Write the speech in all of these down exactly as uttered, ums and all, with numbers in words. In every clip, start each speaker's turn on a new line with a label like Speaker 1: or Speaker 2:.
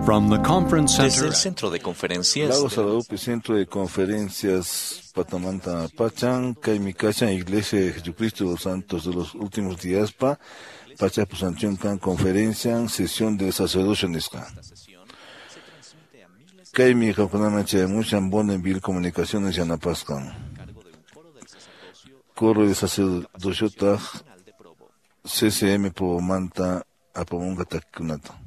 Speaker 1: From the conference
Speaker 2: Desde
Speaker 1: center
Speaker 2: el Centro de Conferencias
Speaker 3: Lago Salaupi, Centro de Conferencias Patamanta Pachan, Kaimikachan, Iglesia de Jesucristo de los Santos de los Últimos Días, Pa, Pacha Pusanchun Kan, Conferencia, Sesión del Sacerdocio Nisca. Kaimi Kakunama Chayamushan, Bonneville Comunicaciones Yanapascan. Coro de Sacerdocio Taj, C C M Pomanta, Apamunga Takunata.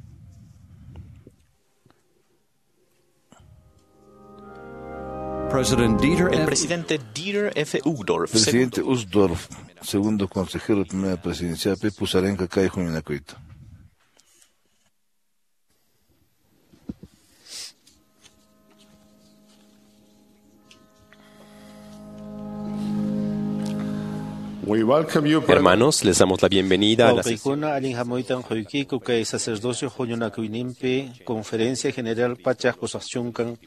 Speaker 1: President Dieter
Speaker 2: El
Speaker 1: F.
Speaker 2: presidente Dieter F. Uchtdorf,
Speaker 3: Presidente
Speaker 2: segundo,
Speaker 3: Uchtdorf, segundo consejero de primera presidencia, P. Pusarenka Kai Juminacuito.
Speaker 4: We welcome you, brethren,
Speaker 5: Hermanos, les damos la bienvenida a la sesión
Speaker 6: Wawqiykuna allin hamuytan quykiku kay sacerdocio huñunakuyninpi Conferencia General Pachaq Pusaqchunkan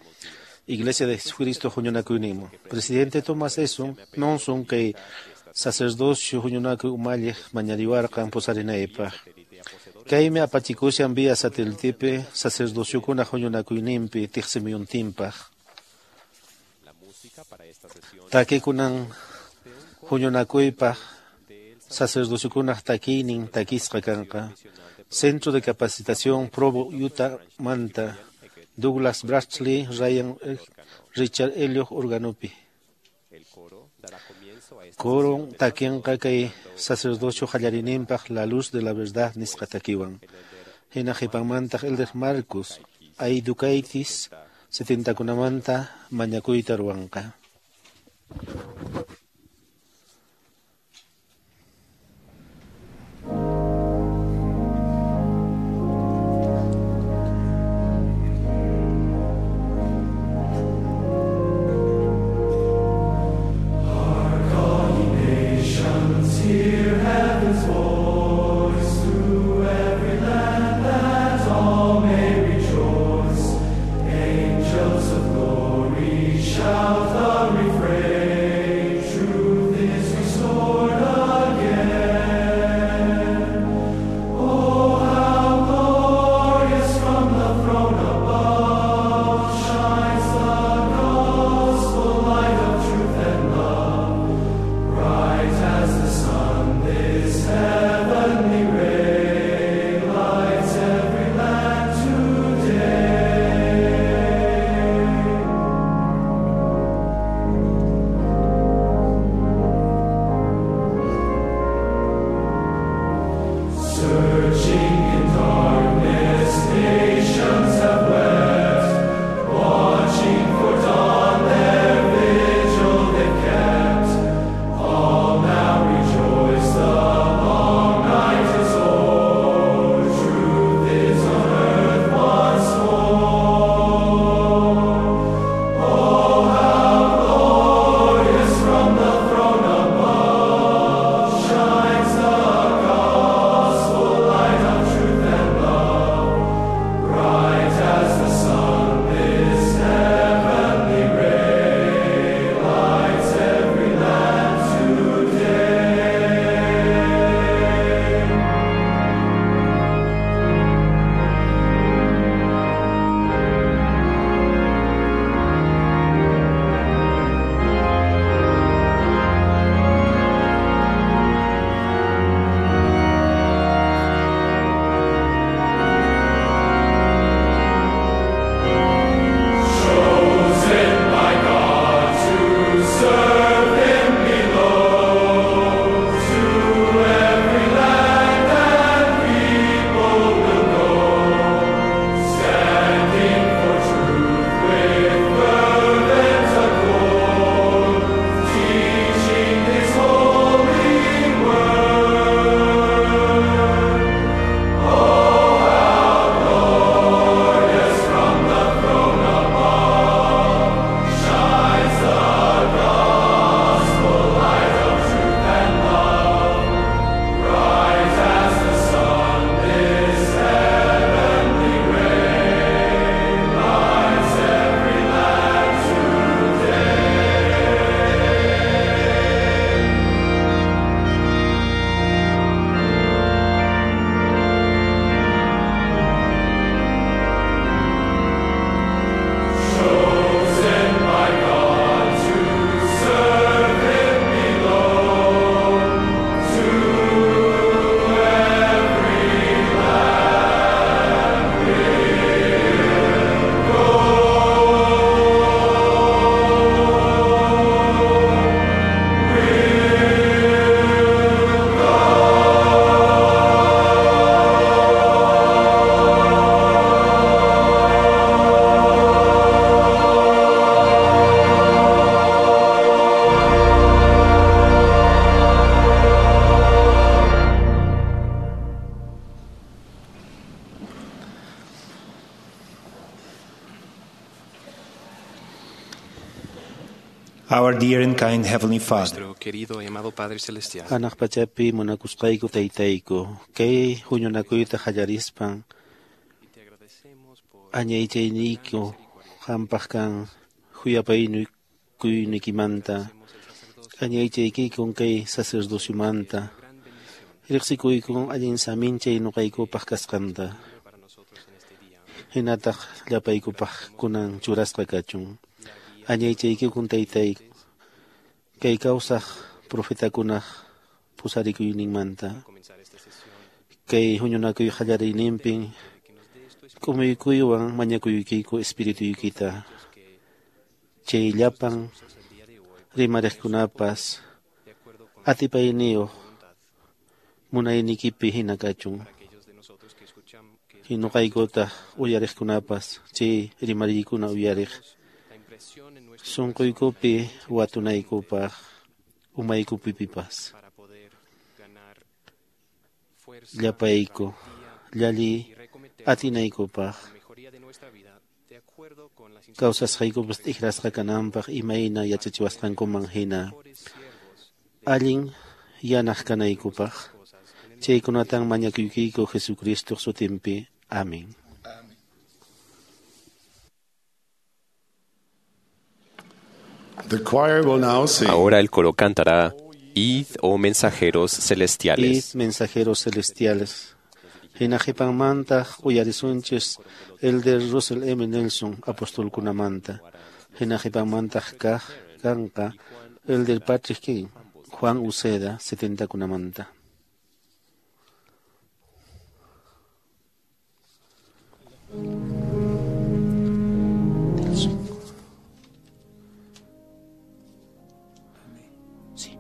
Speaker 6: Iglesia de Jesucristo huñunakuyninman. Presidente Thomas Eson Monson kay sacerdocio huñunakuy umalliq mañariwarqan pusarinaypaq. Kaymi apachikushan vía satélitepi sacerdociokuna huñunakuyninpi tiqsimuyuntinpaq. Takikunan huñunakuypaq sacerdociokunaq takiynin takisqa kanqa. Centro de Capacitación Provo Utah Manta, Douglas Bradley, Ryan Richard Elliot organopi. Coro takinqa kay sacerdocio qallarininpaq La Luz de la Verdad nisqa takiwan. Hina qhipanmantaq Elder Marcus Aidukaitis setentakunamanta mañakuyta ruwanqa.
Speaker 7: Shout the refrain, truth is restored again. Oh, how glorious from the throne above shines the gospel light of truth and love. Bright as the sun, this heavenly ray lights every land today.
Speaker 1: Our dear and kind Heavenly Father,
Speaker 8: Nuestro querido y amado Padre Celestial,
Speaker 6: Hanaq pachapi munakusqayku taytayku, kay huñunakuyta qallarispan añaychayniyku qampaq kan khuyapaykuyniykiymanta, añaychaykikun kay sacerdociomanta, riqsikuykun allin saminchay nuqaykupaq kasqanta, hinataq llapaykupaq kunan churasqa kachun. Añaychaykikun taytayku, kay kawsaq profetakunaq pusarikuyninmanta, kay huñunakuy qallariyninpin k'umuykuywan mañakuykiku espirituykita, chay llapan rimariqkunapas atipayniyuq munaynikipi hina kachun. Hinuqaykutaq uyariqkunapas chay rimariykuna uyariq sunquykupi watunaykupaq umaykupipipas. Llapayku llali atinaykupaq kawsasqaykupas t'ikrasqa kananpaq imayna yachachiwasqankuman hina allin yanaq kanaykupaq. Chaykunatan mañakuykiku Jesucristo sutinpi. Amén.
Speaker 4: The choir will now sing.
Speaker 5: Ahora el coro cantará Id, oh mensajeros celestiales.
Speaker 6: Id, mensajeros celestiales. Hina qhipanmantaq uyarisunchis Elder Russell M. Nelson apostolkunamanta. Hina qhipanmantaq kaq kanqa Elder Patrick King, Juan Uceda setentakunamanta. Sí.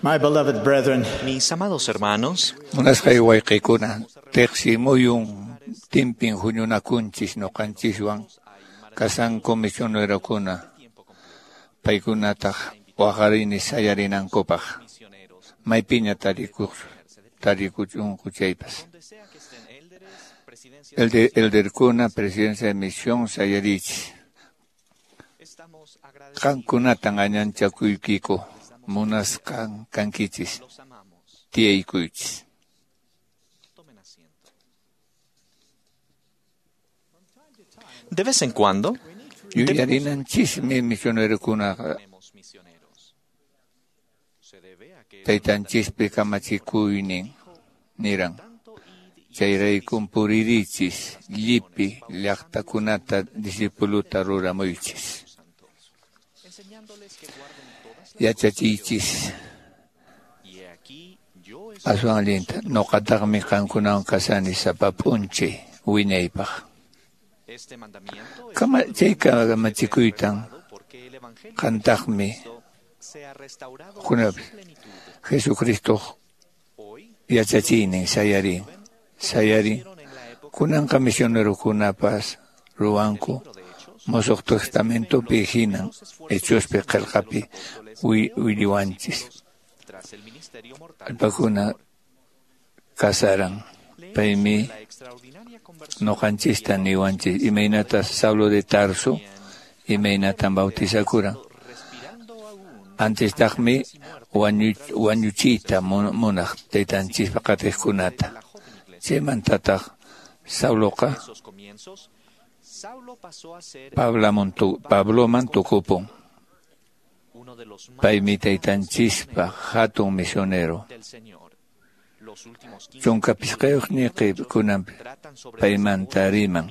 Speaker 1: My beloved brethren,
Speaker 2: Mis amados hermanos,
Speaker 9: Munasqay wayqiykuna, tiqsimuyun timpin huñunakunchis ñuqanchiswan kasanku misionerokuna, paykunataq waqarini sayarinankupaq, maypiña tarikuq tarikuchunku chaypas. Elder, elderkuna, presidencia de misión sayarichis. Qankunatan añanchakuykiku, munasqan kankichis, tiyaykuychis.
Speaker 2: De vez en cuando,
Speaker 9: Yuyarinanchismi misionerokunaqa taytanchispi kamachikuynin niran. Chayraykum puririchis, llipi llaqtakunata discipuluta ruramuychis. Yachachiychis aswan allinta. Ñuqataqmi qankunawan kasani sapa p'unchay wiñaypaq. Chay kamachikuytan qantaqmi Jesucristo yachachiynin sayarin. Sayarin. Kunanqa misionerokunapas ruwanku Mosoq Testamentopi hinan Hechospi qillqapi williwanchis. Allpakuna kasaran. Paymi ñuqanchista niwanchis imaynata Saulo de Tarso imaynatan bautizakuran. Antestaqmi wañuchiyta munaq taytanchispa qatiqkunata. Chaymantataq Sauloqa Pabloman tukupun. Paymi taytanchispa hatun misionero. Chunka pisqayuq ñiqi kunanpi paymanta riman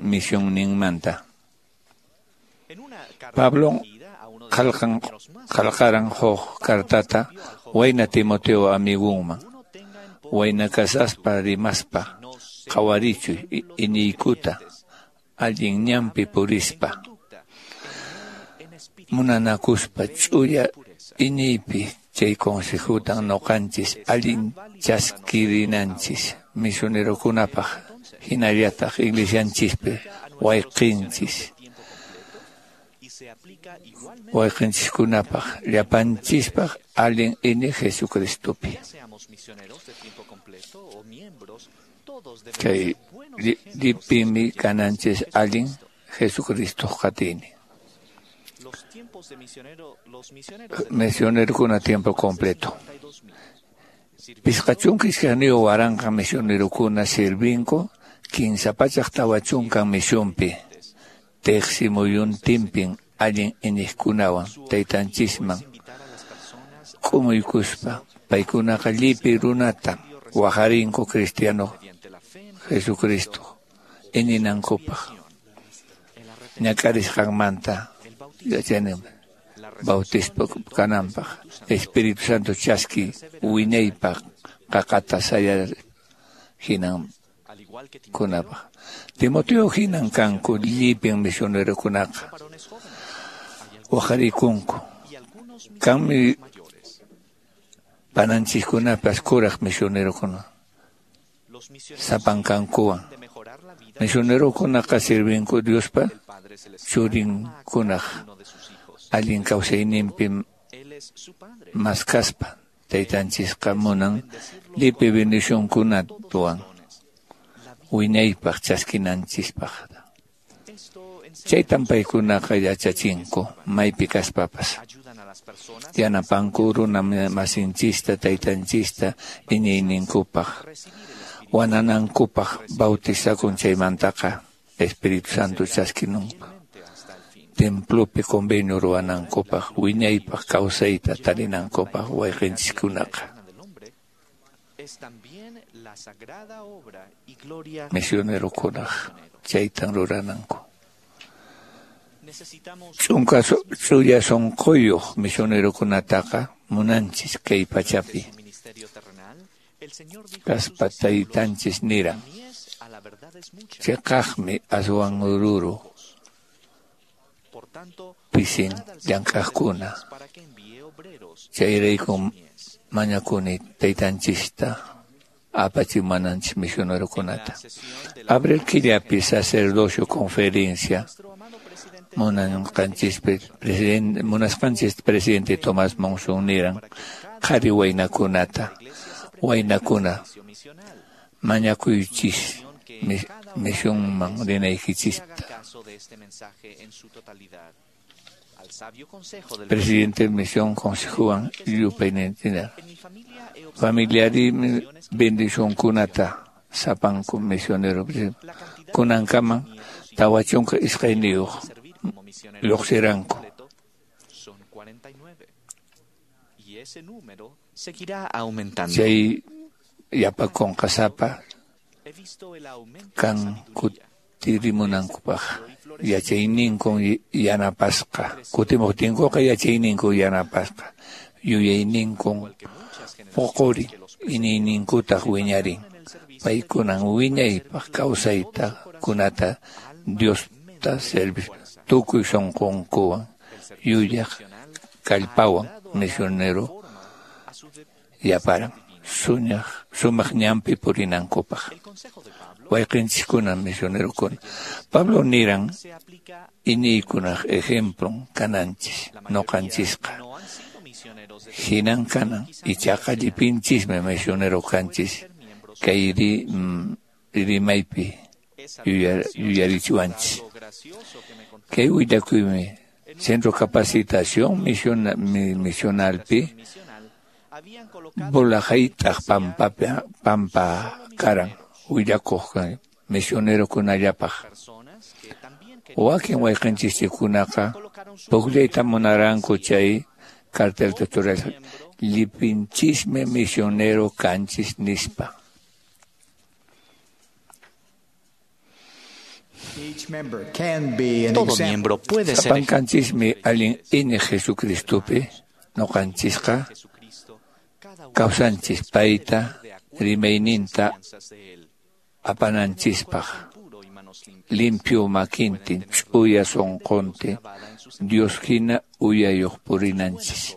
Speaker 9: misionninmanta. Pablo qillqaran huk cartata wayna Timoteo amigunman. Wayna kasaspa rimaspa qhawarichuy iñiykuta allin ñanpi purispa. Munanakuspa ch'uya iñiypi chay consejutan ñuqanchis allin chaskirinanchis misionerokunapaq hinallataq iglesianchispi wayqinchis wayqinchiskunapaq llapanchispaq allin iñiq Jesucristopi. Chay llipimi kananchis allin Jesucristoq qatiynin. Misionerokuna tiempo completo. Pisqa chunka iskayniyuq waranqa misionerokuna sirvinku kinsa pachak tawa chunkan misionpi. Teqsi muyuntinpin allin iñiqkunawan taytanchisman k'umuykuspa paykunaqa llipi runata waqarinku cristiano Jesucristo iñinankupaq ñak'arisqanmanta yachaynin bautismo kananpaq Espíritu Santo chaski wiñaypaq qaqata sayar hinan kunapaq. Timoteo hinan kanku llipin misionerokunaqa waqarikunku. Kanmi pananchiskunapas kuraq misionerokuna sapankankuwan. Misionerokunaqa sirvinku Diospa churinkunaq allin kawsayninpi maskaspa taytanchisqa munan llipi bendicionkunatuwan wiñaypaq chaskinanchispaq. Chaytan paykunaqa yachachinku maypi kaspapas. Yanapanku runa masinchista taytanchista iñiyninkupaq wananankupaq bautizakun chaymantaqa Espíritu Santo chaskinunpa. Templopi convenio ruwanankupaq wiñaypaq kawsayta tarinankupaq wayqinchiskunaqa. Misionerokunaq chaytan rurananku. Chunka ch'uya sunquyuq misionerokunataqa munanchis kay pachapi. Kaspa taytanchis niran chiqaqmi aswan ruru pisin llank'aqkuna. Chayraykum mañakuni taytanchista apachimunanchis misionerokunata. Abril killapi sacerdocio conferencia munasqanchispi presidente munasqanchis presidente Tomás Monson niran qhari waynakunata waynakuna mañakuychis misionman rinaykichista. Presidente misión consejuan yupaynintina familiari bendicionkunata sapanku misionero kunankaman tawa chunka iskayniyuq lluqsiranku. Chay Yapakunqa sapa kan kutirimunankupaq yachayninkun yanapasqa kutimuqtinkuqa yachayninkun yanapasqa yuyayninkun puqurin iñiyninkutaq wiñarin paykunan wiñaypaq kawsayta kunata Diosta servispa tukuy sunqunkuwan yuyaq kallpawan misionero yaparan suñaq sumaq ñanpi purinankupaq wayqinchiskuna misionerokuna Pablo niran iñiykunaq ejemplon kananchis noqanchisqa hinan kanan ichaqa llipinchismi misionero kanchis kay rimaypi yuyarichiwanchis kay willakuymi Centro Capacitación Misionalpi Bolajaytaq pampapi pampa karan willakuq misionerokunallapaq wakin wayqinchikunaqa pukllayta munaranku chay cartelta churaspa llipinchismi misionero kanchis nispa.
Speaker 2: Todo miembro puede ser
Speaker 9: Sapankanchismi allin iñiq Jesucristopi noqanchisqa kawsanchis payta rimayninta apananchispaq limpio makintin ch'uya sunquntin Dios hina uyayuq purinanchis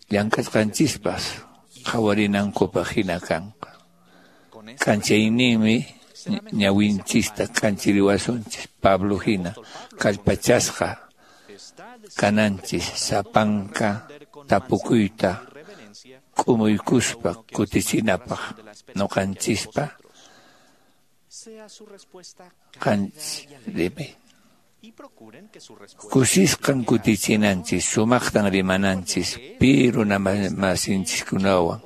Speaker 9: llank'asqanchispas qhawarinankupaq hina kanqa k'anchayninmi ñawinchista k'anchiriwasunchis Pablo hina kallpachasqa kananchis sapanka tapukuyta k'umuykuspa kutichinapaq noqanchispa qanchis kusisqan kutichinanchis sumaqtan rimananchis pi runamasinchiskunawan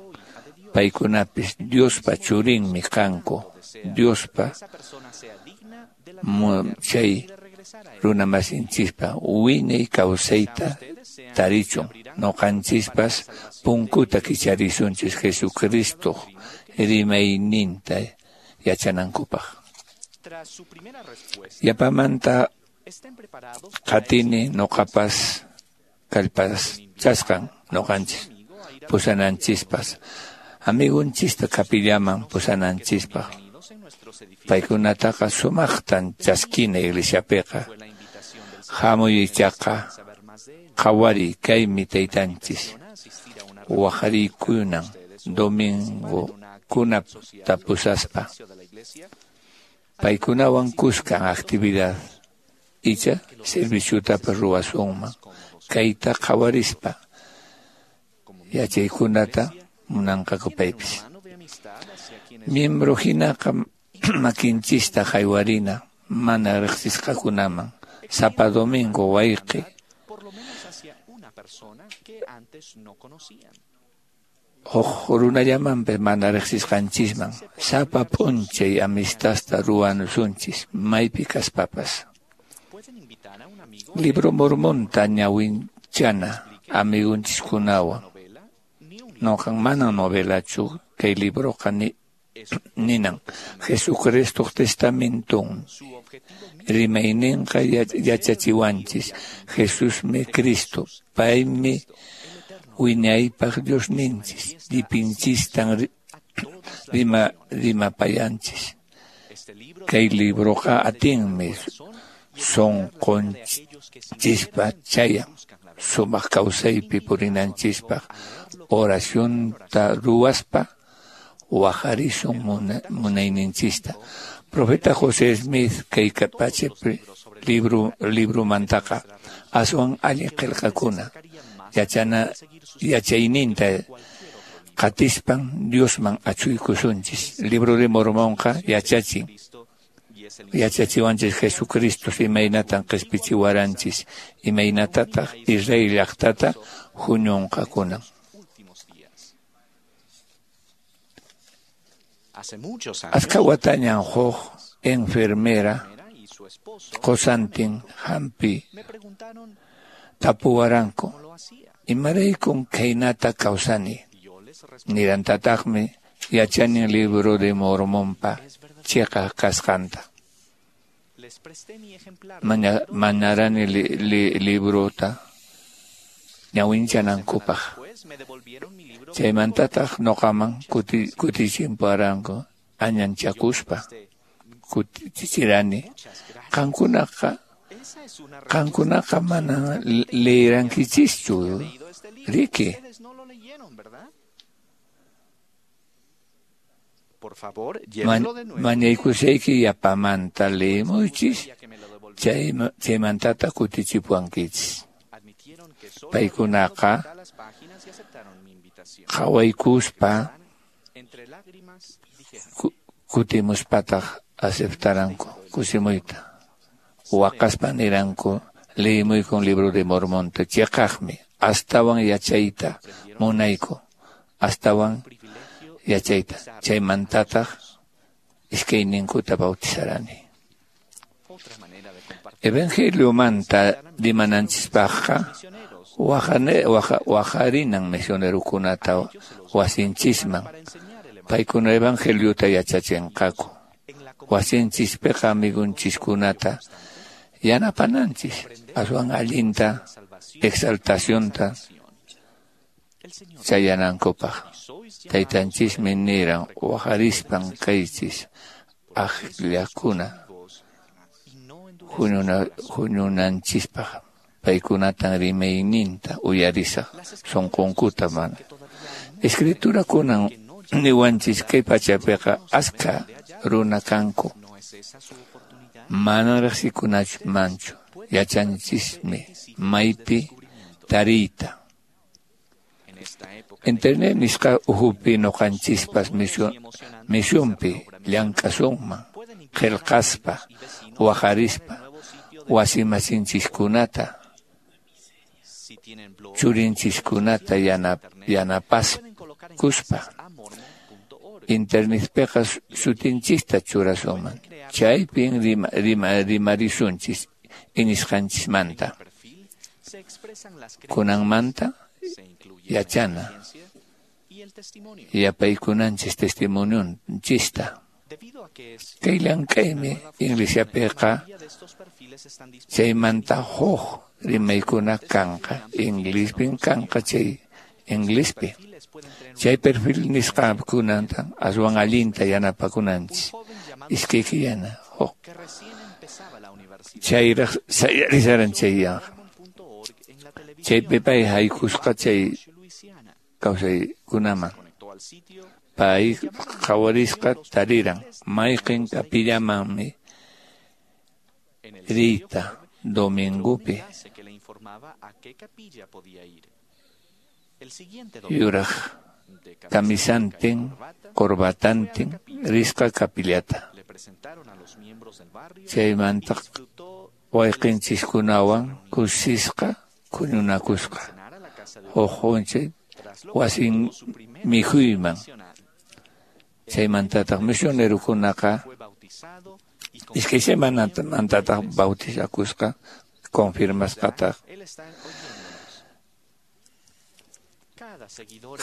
Speaker 9: paykunapis Diospa churinmi kanku Diospa chay runamasinchispa wiñay kawsayta tarichun noqanchispas punkuta kicharisunchis Jesucristoq rimayninta yachanankupaq yapamanta qatini noqapas kallpachasqan noqanchis pusananchispas amigunchista kapillaman pusananchispaq paykunataqa sumaqtan chaskina iglesiapiqa hamuy ichaqa qhawariy kaymi taytanchis waqariykunan domingokunata pusaspa paykunawan kuskan actividad icha serviciotapas ruwasunman kayta qhawarispa yachaykunata munanqaku paypis miembro hinaqa makinchista haywarina mana riqsisqakunaman sapa domingo wayqi huk runallamanpas mana riqsisqanchisman sapa p'unchay amistadta ruwasunchis maypi kaspapas Libro Mormonta ñawinchana amigunchiskunawan noqan mana novelachu kay libroqa ni ninan Jesucristoq testamentun rimayninqa yachachiwanchis Jesusmi Cristo paymi wiñaypaq Diosninchis llipinchistan rima rimapayanchis kay libroqa atinmi sunqunchispa chayan sumaq kawsaypi purinanchispaq oracionta ruwaspa waqarisun munayninchista Profeta José Smith kay pachapi libro libromantaqa aswan allin qillqakuna yachana yachayninta qatispan Diosman achuykusunchis Libro de Mormonqa yachachin yachachiwanchis Jesucristo imaynatan qispichiwaranchis imaynatataq Israel llaqtata huñunqakunan Askha watañan huk enfermera qosantin hampi tapuwaranku imaraykun khaynata kawsani Nirantataqmi yachanin Libro de Mormonpa chiqaq kasqanta. Maña, mañarani li, li, librota ñawinchanankupaq. Chaymantataq noqaman kuti, kutichimparanku añanchakuspa kutichirani. Qankunaqa qankunaqa mana leerankichischu, riki. Man, mañaykusayki yapamanta leemuychis, chay, chaymantata kutichipuwankichis. Paykunaqa qhawaykuspa kutimuspataq aceptaranku kusimuyta. Waqaspa niranku leemuykun Libro de Mormonta, chiqaqmi, astawan yachayta munayku, astawan yachayta. Chaymantataq iskayninkuta bautizarani. Evangeliomanta rimananchispaqqa waqarinan misionerukunata wasinchisman. Paykuna evangeliota yachachinqaku. Wasinchispiqa amigunchiskunata yanapananchis, aswan allinta exaltacionta chayanankupaq. Taytanchismi niran waqarispan kaychis akllakuna huñunanchispaq. Paykunatan rimayninta uyarisaq sunqunkuta mana. Escriturakunan niwanchis kay pachapiqa askha runa kanku. Mana riqsikunamanchu, yachanchismi maypi tariyta. Internet nisqa uhupi noqanchispas misionpi llank'asunman, qillqaspa, waqarispa, wasimasinchikkunata, churinchiskunata yanapaskuspa. Internetpiqa sutinchista churasunman, chaypin rima, rima, rimarisunchis iñisqanchismanta. Kunanmanta yachana, yapaykunanchis testimonionchista. Kay llank'aymi iglesiapiqa chaymanta huk rimaykuna kanqa, inglispin kanqa chay inglispi. Chay perfil nisqakunata aswan allinta yanapakunanchis. Iskay killana huk. Chayraq sayarisaran chay yanqa. Chaypi pay haykusqa chay kawsaykunaman. Pay qhawarisqa tariran mayqin kapillamanmi riyta domingupi. Yuraq kamisantin corbatantin risqa kapillata. Chaymanta wayqinchiskunawan kusisqa huñunakusqa. Huk p'unchay wasin mikhuyman. Chaymantataq misionerukunaqa iskay semanamantataq bautizakusqa, confirmasqataq.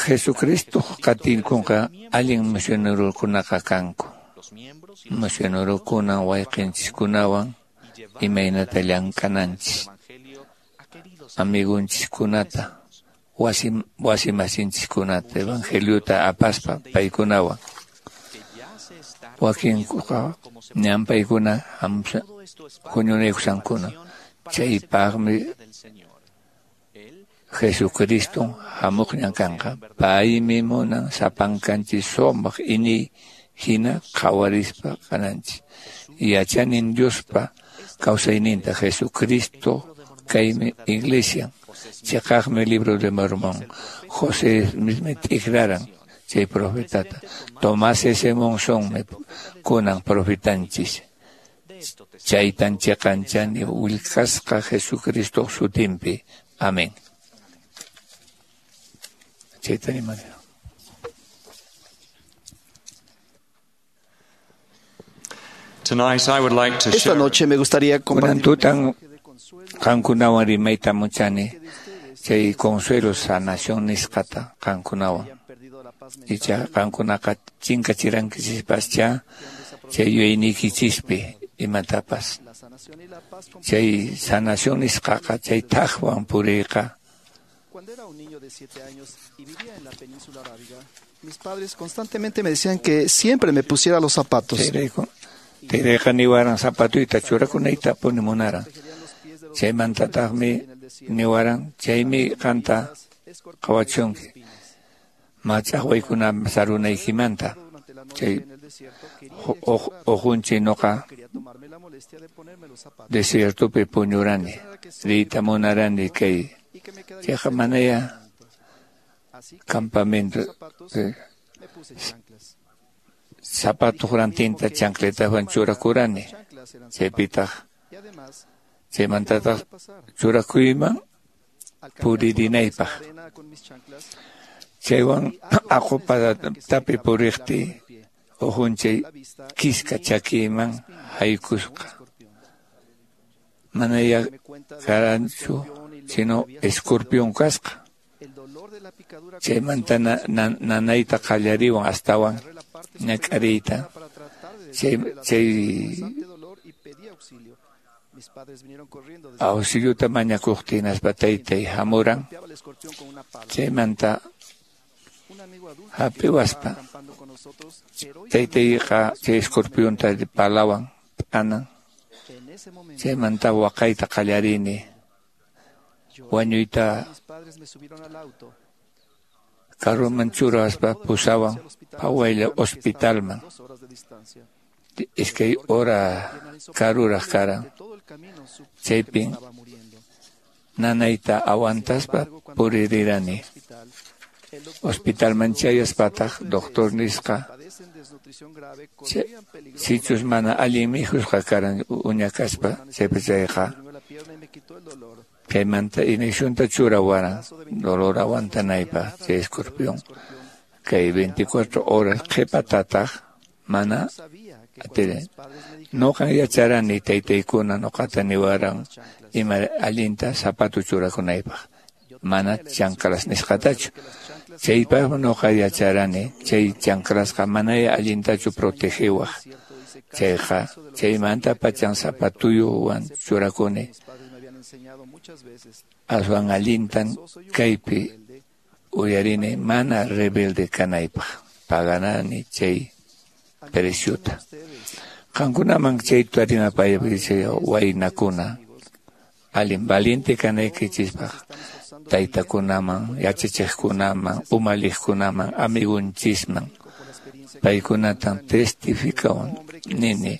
Speaker 9: Jesucristo qatinkunqa allin misionerukunaqa kanku. Misionerukuna wayqinchiskunawan imaynata llank'ananchis, amigunchiskunata, wasi wasimasinchikkunata evangeliota apaspa paykunawan. Wakinkuqa ñan paykuna huñunaykusankuna. Chaypaqmi Jesucristo hamuqñan kanqa. Paymi munan sapankanchis sumaq iñiy hina qhawarispa kananchis. Yachanin Diospa kawsayninta Jesucristo kaymi iglesia. Chiqaqmi Libro de Mormón. José mismi t'ikraran chay profetata. Tomás S. Monsonmi kunan profetanchis. Chaytan chiqanchani willkasqa Jesucristo sutinpi. Amén. Chayta rimani.
Speaker 7: Tonight I would like to
Speaker 10: Esta
Speaker 7: share
Speaker 10: noche me gustaría
Speaker 9: Kunan
Speaker 10: compartir
Speaker 9: tutan qankunawan rimayta muchani chay consuelo sanación nisqata qankunawan. Icha qankunaqa chinkachirankichispascha chay yuyayniykichispi imatapas. Chay sanación nisqaqa chay thaqwan puriyqa.
Speaker 10: Cuando era un niño de siete años y vivía en la península arábiga, mis padres constantemente me decían que siempre me pusiera los zapatos.
Speaker 9: Taytayqa niwaran zapatuyta churakunaytapuni munaran. Chaymantataqmi niwaran chaymi qanta qhawachunki mach'aqwaykuna sarunaykimanta. Chay uqunchi nuqa desiertopi puñurani, riyta munarani kay chayqa manaya campamento zapatuq rantinta chancletawan churakurani, chaypitaq chaymantataq churakuyman puririnaypaq. Chaywan aqupatapi puriqtiy ujunchay kiska chakiyman haykusqa. Manaya karanchu sino escorpión kasqa. Chaymanta nanayta qallariwan astawan ñak'ariyta. Chay chay auxiliota mañakuqtiy hinaspa taytay hamuran. Chaymanta hap'iwaspa taytayqa chay escorpionta palawan p'anan. Chaymanta waqayta qallarini. Wañuyta carroman churaspa pusawan phawaylla hospitalman. Iskay hora karuraq karan. Chaypin nanayta aguantaspa puririrani. Hospitalman chayaspataq doctor nisqa sichus mana allin mikhusqa karan uña kaspa chaypi chayqa chaymanta inyeccionta churawaran dolor aguantanaypaq chay escorpión kay veinticuatro horas qhipatataq mana atirin. Nuqan yacharani taytaykuna nuqata niwaran ima allinta zapato churakunaypaq mana chanclas nisqatachu. Chaypaqmi nuqa yacharani chay chanclasqa manaya allintachu protegiwaq. Chayqa chaymanta pachan zapatuyuwan churakuni. Aswan allintan kaypi uyarini mana rebelde kanaypaq paganani chay preciota. Qankunaman chayta rimapayapis waynakuna allin valiente kanaykichispaq taytakunaman, yachachiqkunaman, umalliqkunaman, amigunchisman paykunatan testifikawan nini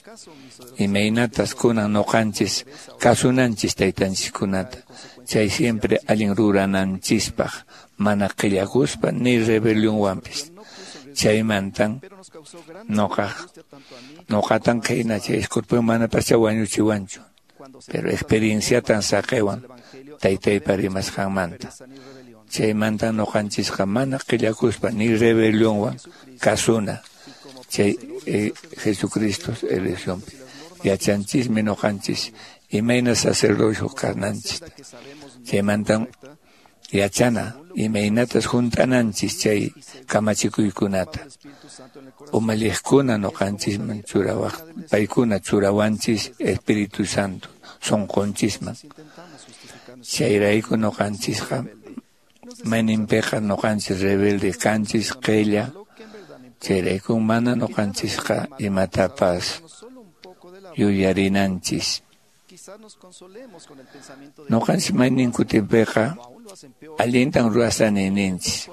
Speaker 9: imaynatas kunan nuqanchis kasunanchis taytanchiskunata chay siempre allin rurananchispaq mana qillakuspa ni rebelionwanpis. Chaymantan nuqa nuqatan khayna chay escorpión manapascha wañuchiwanchu, pero experienciatan saqiwan taytaypa rimasqanmanta. Chaymanta nuqanchisqa mana qillakuspa ni rebelionwan kasuna chay eh, Jesucristo eleccionpi. Yachanchismi nuqanchis imayna sacerdocio kananchis. Chaymantan yachana imaynatas hunt'ananchis chay kamachikuykunata. Umalliqkuna nuqanchisman churawaq paykuna churawanchis Espíritu Santo sunqunchisman. Chayrayku nuqanchisqa mayninpiqa nuqanchis rebelde kanchis qilla. Chayrayku mana nuqanchisqa imatapas yuyarinanchis. Nuqanchis maynin kutinpiqa allintan ruwasani ninchis.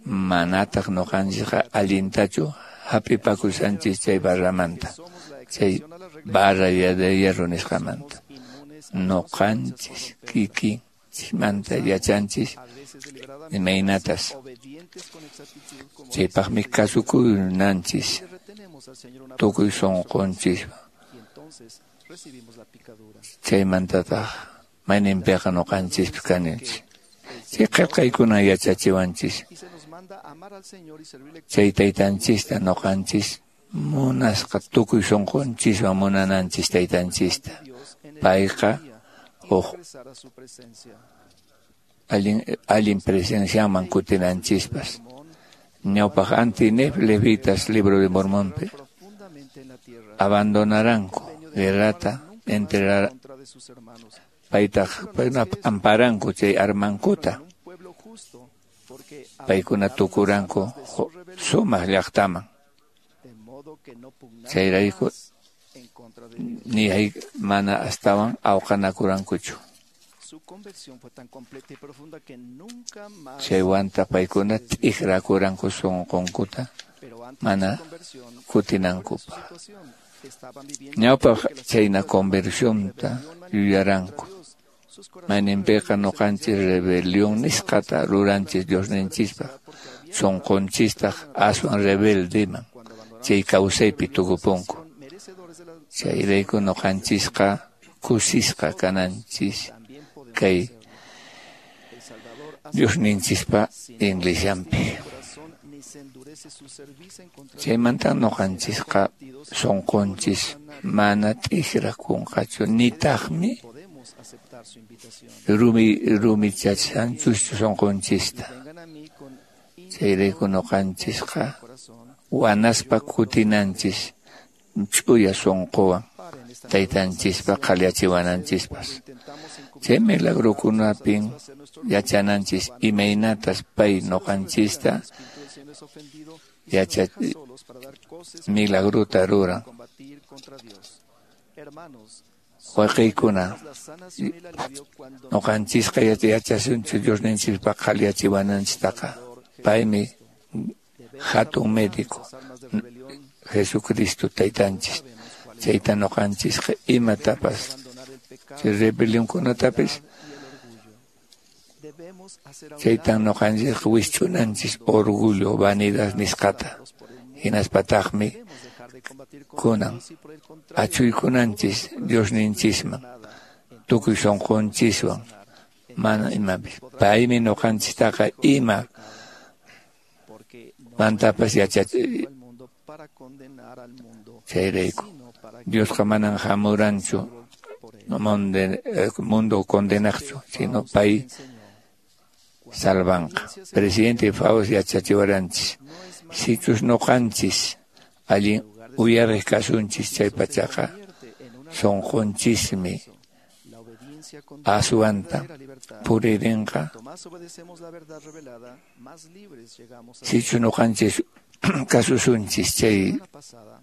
Speaker 9: Manataq nuqanchisqa allintachu hap'ipakushanchis chay barramanta, chay barra de hierro nisqamanta. Nuqanchis kikinchismanta yachanchis imaynatas. Chaypaqmi kasukunanchis tukuy sunqunchis. Chaymantataq mayninpiqa nuqanchispi kaninchis. Chay qillqaykuna yachachiwanchis. Chay taytanchista nuqanchis munasqa tukuy sunqunchiswan munananchis taytanchista. Payqa huk allin allin presenciaman kutinanchispas. Ñawpaq anti-Nef levitas libro de Mormónpi abandonaranku guerrata entrerar paytaq paykuna amparanku chay armankuta paykuna tukuranku sumaq llaqtaman chayrayku ni hay mana astawan awqanakurankuchu. Chaywanta paykuna t'ikrakuranku sunqunkuta mana kutinankupaq. Ñawpaq chayna conversionta yuyaranku. Mayninpiqa ñuqanchis rebelión nisqata ruranchis Diosninchispaq sunqunchistaq aswan rebeldeman chay kawsaypi tukupunku. Chayrayku ñuqanchisqa kusisqa kananchis kay Diosninchispa iglesianpi. Chaymanta ñuqanchisqa sunqunchis mana t'ikrakunqachu nitaqmi rumi rumichachanchuschu sunqunchista. Chayrayku ñuqanchisqa wanaspa kutinanchis ch'uya sunquwan taytanchispa qhaliyachiwananchispas. Chay milagrokunapin yachananchis imaynatas pay ñuqanchista yacha milagrota ruran. Wayqiykuna ñuqanchisqa yachasunchu Diosninchispaq qhaliyachiwananchistaqa. Paymi hatun médico Jesucristo taytanchis. Chayta ñuqanchisqa imatapas chay rebelionkunatapis chaytan ñuqanchisqa wisch'unanchis orgullo, vanidad nisqata. Hinaspataqmi kunan achuykunanchis Diosninchisman tukuy sunqunchiswan mana imapis. Paymi ñuqanchistaqa ima mantapas yachachi chayrayku. Diosqa manan hamuranchu mundo condenaqchu, sino pay salvanqa. Presidente Faust yachachiwaranchis sichus ñuqanchis allin uyariq kasunchis chay pachaqa sunqunchismi aswanta puririnqa. Sichus ñuqanchis kasusunchis chay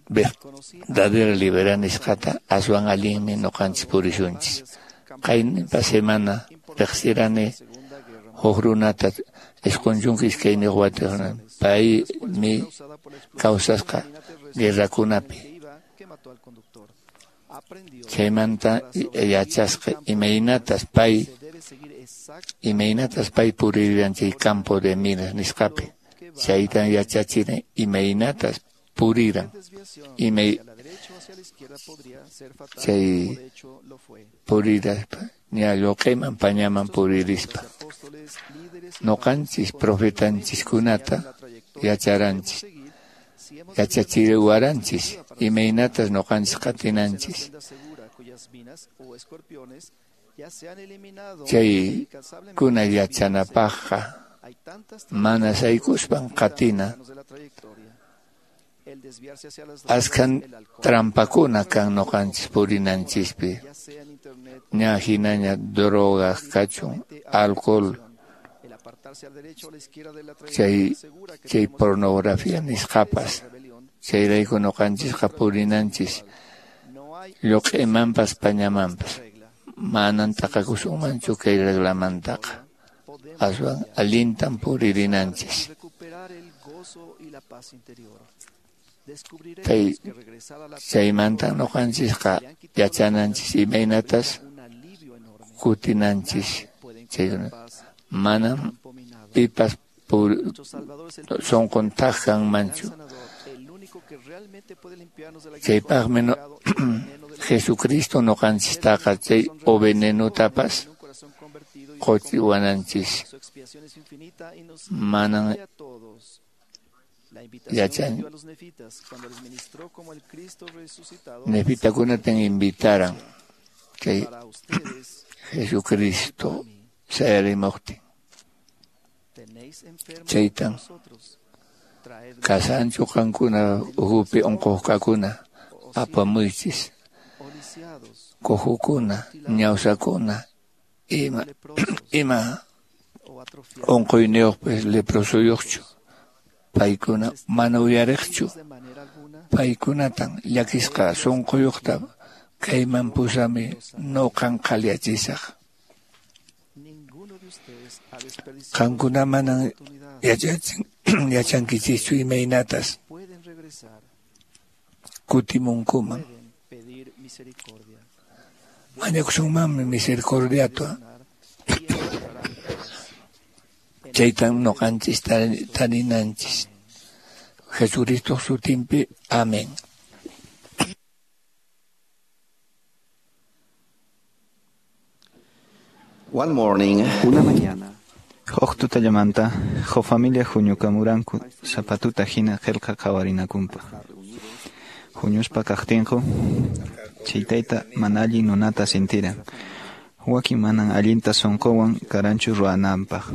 Speaker 9: verdadera libertad nisqata aswan allinmi ñuqanchis purisunchis. Qayninpa semana riqsirani huk runata isqun chunka iskayniyuq watiyuq paymi kawsasqa guerrakunapi. Chaymanta yachasqa imaynatas pay imaynatas pay puriran chay campo de minas nisqapi. Chaytan yachachiran imaynatas puriran imay chay puriraspa ña lluqayman pañaman puririspa. Ñuqanchis profetanchiskunata yacharanchis yachachiwaranchis imaynatas ñuqanchis qatinanchis. Chay kuna yachanapaqqa mana saykuspan qatina. Askhan trampakuna kan ñuqanchis purinanchispi. Ña hinaña drogas kachun, alcohol, chay chay pornografía nisqapas. Chayrayku ñuqanchisqa purinanchis lluq'imanpas pañamanpas. Manan taqakusunmanchu kay reglamantaqa. Aswan allintan puririnanchis. Chay chaymanta ñuqanchisqa yachananchis imaynatas kutinanchis. Chaykuna manam pipas sunqun thak kanmanchu. Chaypaqmi no, Jesucristo ñuqanchistaqa chay o venenutapas quchiwananchis. Manan yachan nefitakunatan invitaran chay Jesucristo sayarimuqtin. Chaytan Kashanchu qankuna ukhupi unquqkuna, apamuychis. Cojukuna, ñawsakuna, ima ima unquyniyuqpis leprosuyuqchu. Paykuna mana uyariqchu. Paykunatan llakisqa sunquyuqta kayman pusami nuqan qhaliyachisaq. Qankuna manan yachachin yachankichischu imaynatas kutimunkuman. Mañakusunmanmi misericordiata. Chaytan nuqanchis tarinanchis. Jesucristo sutinpi. Amén.
Speaker 11: One morning,
Speaker 8: una mañana,
Speaker 12: Huk tutallamanta, huk familia huñukamuranku sapatuta hina qillqa qhawarinakunpaq. Huñuspa kaqtinku, chay tayta mana allin nunata sintiran. Wakin manan allinta sunquwan karanchu ruwananpaq.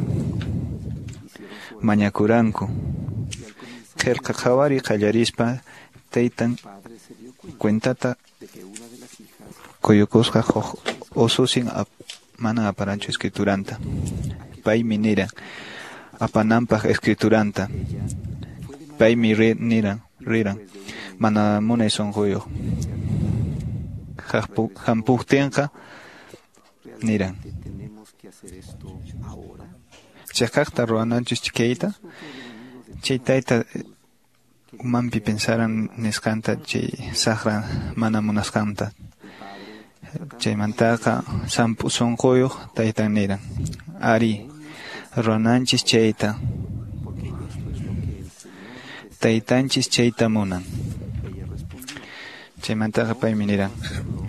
Speaker 12: Mañakuranku. Qillqa qhawariy qallarispa taytan cuentata quyukusqa huk ususin manan aparanchu escrituranta. Paymi niran apananpaq escrituranta. Paymi niran riran mana munay sunquyuq. Hampuqtinqa niran chiqaqta ruwananchis kayta. Chay tayta umanpi pensaran nisqanta chay saqra mana munasqanta. Chaymantaqa sampu sunquyuq taytan niran ari ruwananchis chayta. Taytanchis chayta munan. Chaymantaqa paymi niran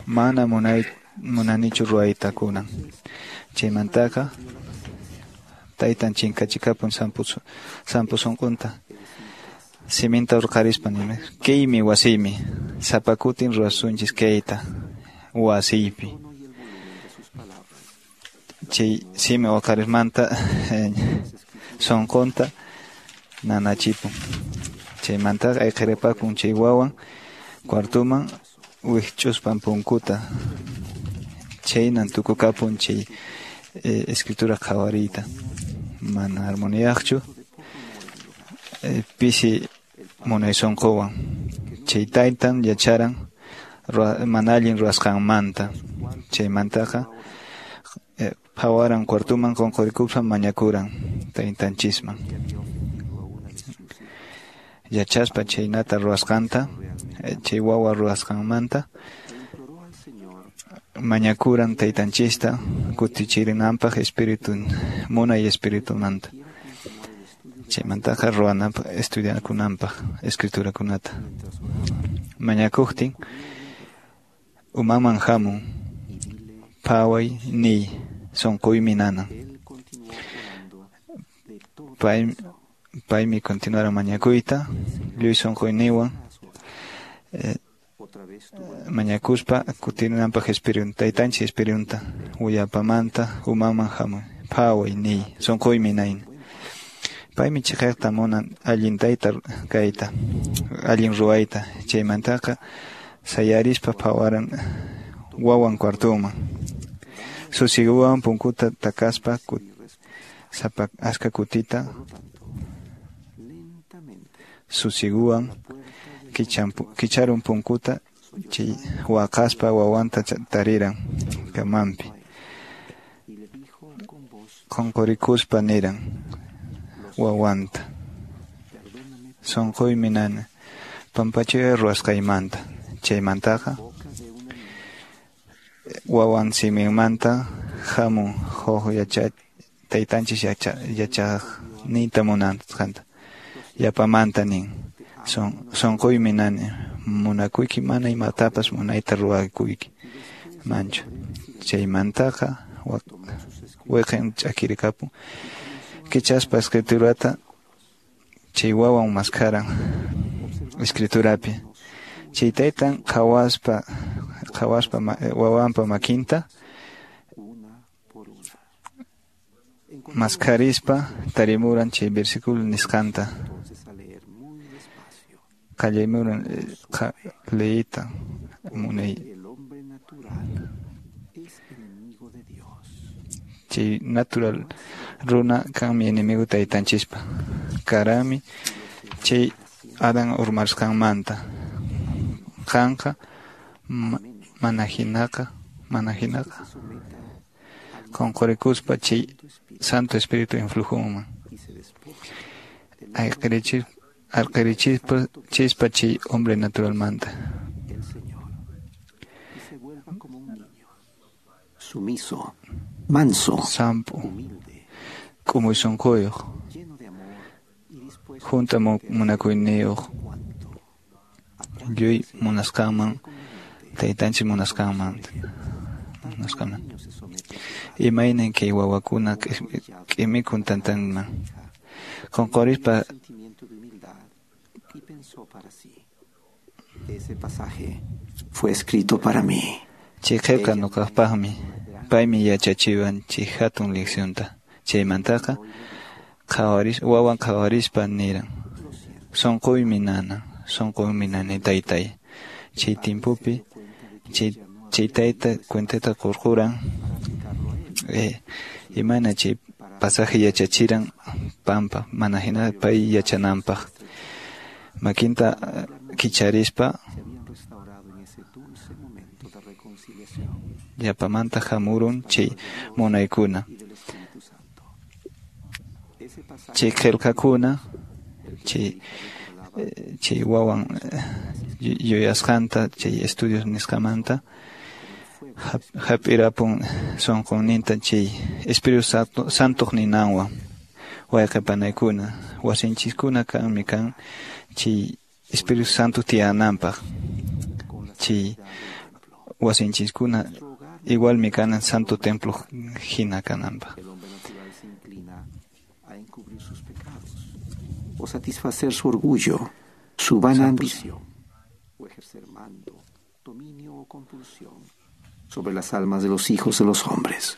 Speaker 12: mana munay munanichu ruwayta kunan. Chaymantaqa taytan chinkachikapun sampu sampu sunqunta. Siminta hurqarispa nima kaymi wasiymi sapa kutin ruwasunchis kayta wasiypi. Chay simi huqarismanta sunqunta nanachipun. Chaymantaqa ayqiripakun chay wawan cuartuman wikch'uspan punkuta. Chaynan tukukapun chay escritura qhawariyta. Mana armoniyaqchu pisi munay sunquwan. Chay taytan yacharan mana allin ruwasqanmanta. Chaymantaqa phawaran cuartuman qunqurikuspa mañakuran taytanchisman. Yachaspa chaynata ruwasqanta, chay wawa ruwasqanmanta mañakuran taytanchista kutichirinanpaq espíritu munay espiritumanta. Chaymantaqa ruwananpaq estudiakunanpaq escriturakunata. Mañakuqtin umaman hamun phaway niy sunquymi nanan. Pay paymi continuaran mañakuyta lluy sunquyniwan eh, mañakuspa kutirinanpaq espíritu taytanchis espiritunta willapamanta umaman hamun phaway niy sunquymi nayn. Paymi chiqaqta munan allin tayta kayta allin ruwayta. Chaymantaqa sayarispa phawaran wawan cuartuman. Susiguwan punkuta takaspa sapa aska kutita susiguwan kicharun punkuta chay waqaspa wawanta tariran kamanpi. Qunqurikuspa niran wawanta sunquymi nana pampachayay ruwasqaymanta. Chaymantaqa wawan siminmanta hamun huk yacha taytanchis yacha yachaqniyta munasqanta. Yapamanta nin sunquymi nani munakuyki mana imatapas munayta ruwakuyki manchu. Chaymantaqa wiqin ch'akirikapun. Kichaspa escriturata chay wawan maskharan escriturapi. Chay taytan qhawaspa qhawaspa wawanpa makinta maskharispa tarimuran chay versículo nisqanta. Qallaymuran leyta munay chay natural runa kanmi enemigo taytanchispa karami chay Adán urmarsqanmanta qanqa mana hinaqa mana hinaqa qunqurikuspa chay Santo Espíritu influjonman ayqirichis arqirichispa chispa chay hombre naturalmanta
Speaker 11: sumiso manso
Speaker 12: sampu k'umuy sunquyuq junta munakuyniyuq lluy munasqanman taytanchik munasqanman munasqanman imaynan kay wawakuna k'imikun tantanman qunqurispa.
Speaker 11: Ese pasaje fue escrito para mí.
Speaker 12: Chay qillqa ñuqapaqmi paymi yachachiwan chay hatun leccionta chaymantaqa qhawaris wawan qhawarispa niran sunquymi nana sunquymi nani taytay chay timpupi chay chay tayta cuentata qurquran eh, imayna chay pasaje yachachiran pampa mana hina pay yachananpaq makinta kicharispa llapamanta hamurun chay munaykuna chay qillqakuna chay chay wawan yuyasqanta chay estudios nisqamanta hap'irapun sunqunninta chay Espíritu Santo Santoq ninanwan wayqipanaykuna wasinchiskuna kanmi kan chay Espíritu Santo tiyananpaq chay wasinchiskuna igualmi kanan Santo Templo hina kananpaq.
Speaker 11: O satisfacer su orgullo, su vana ambición, o ejercer mando, dominio o compulsión sobre las almas de los hijos de los hombres.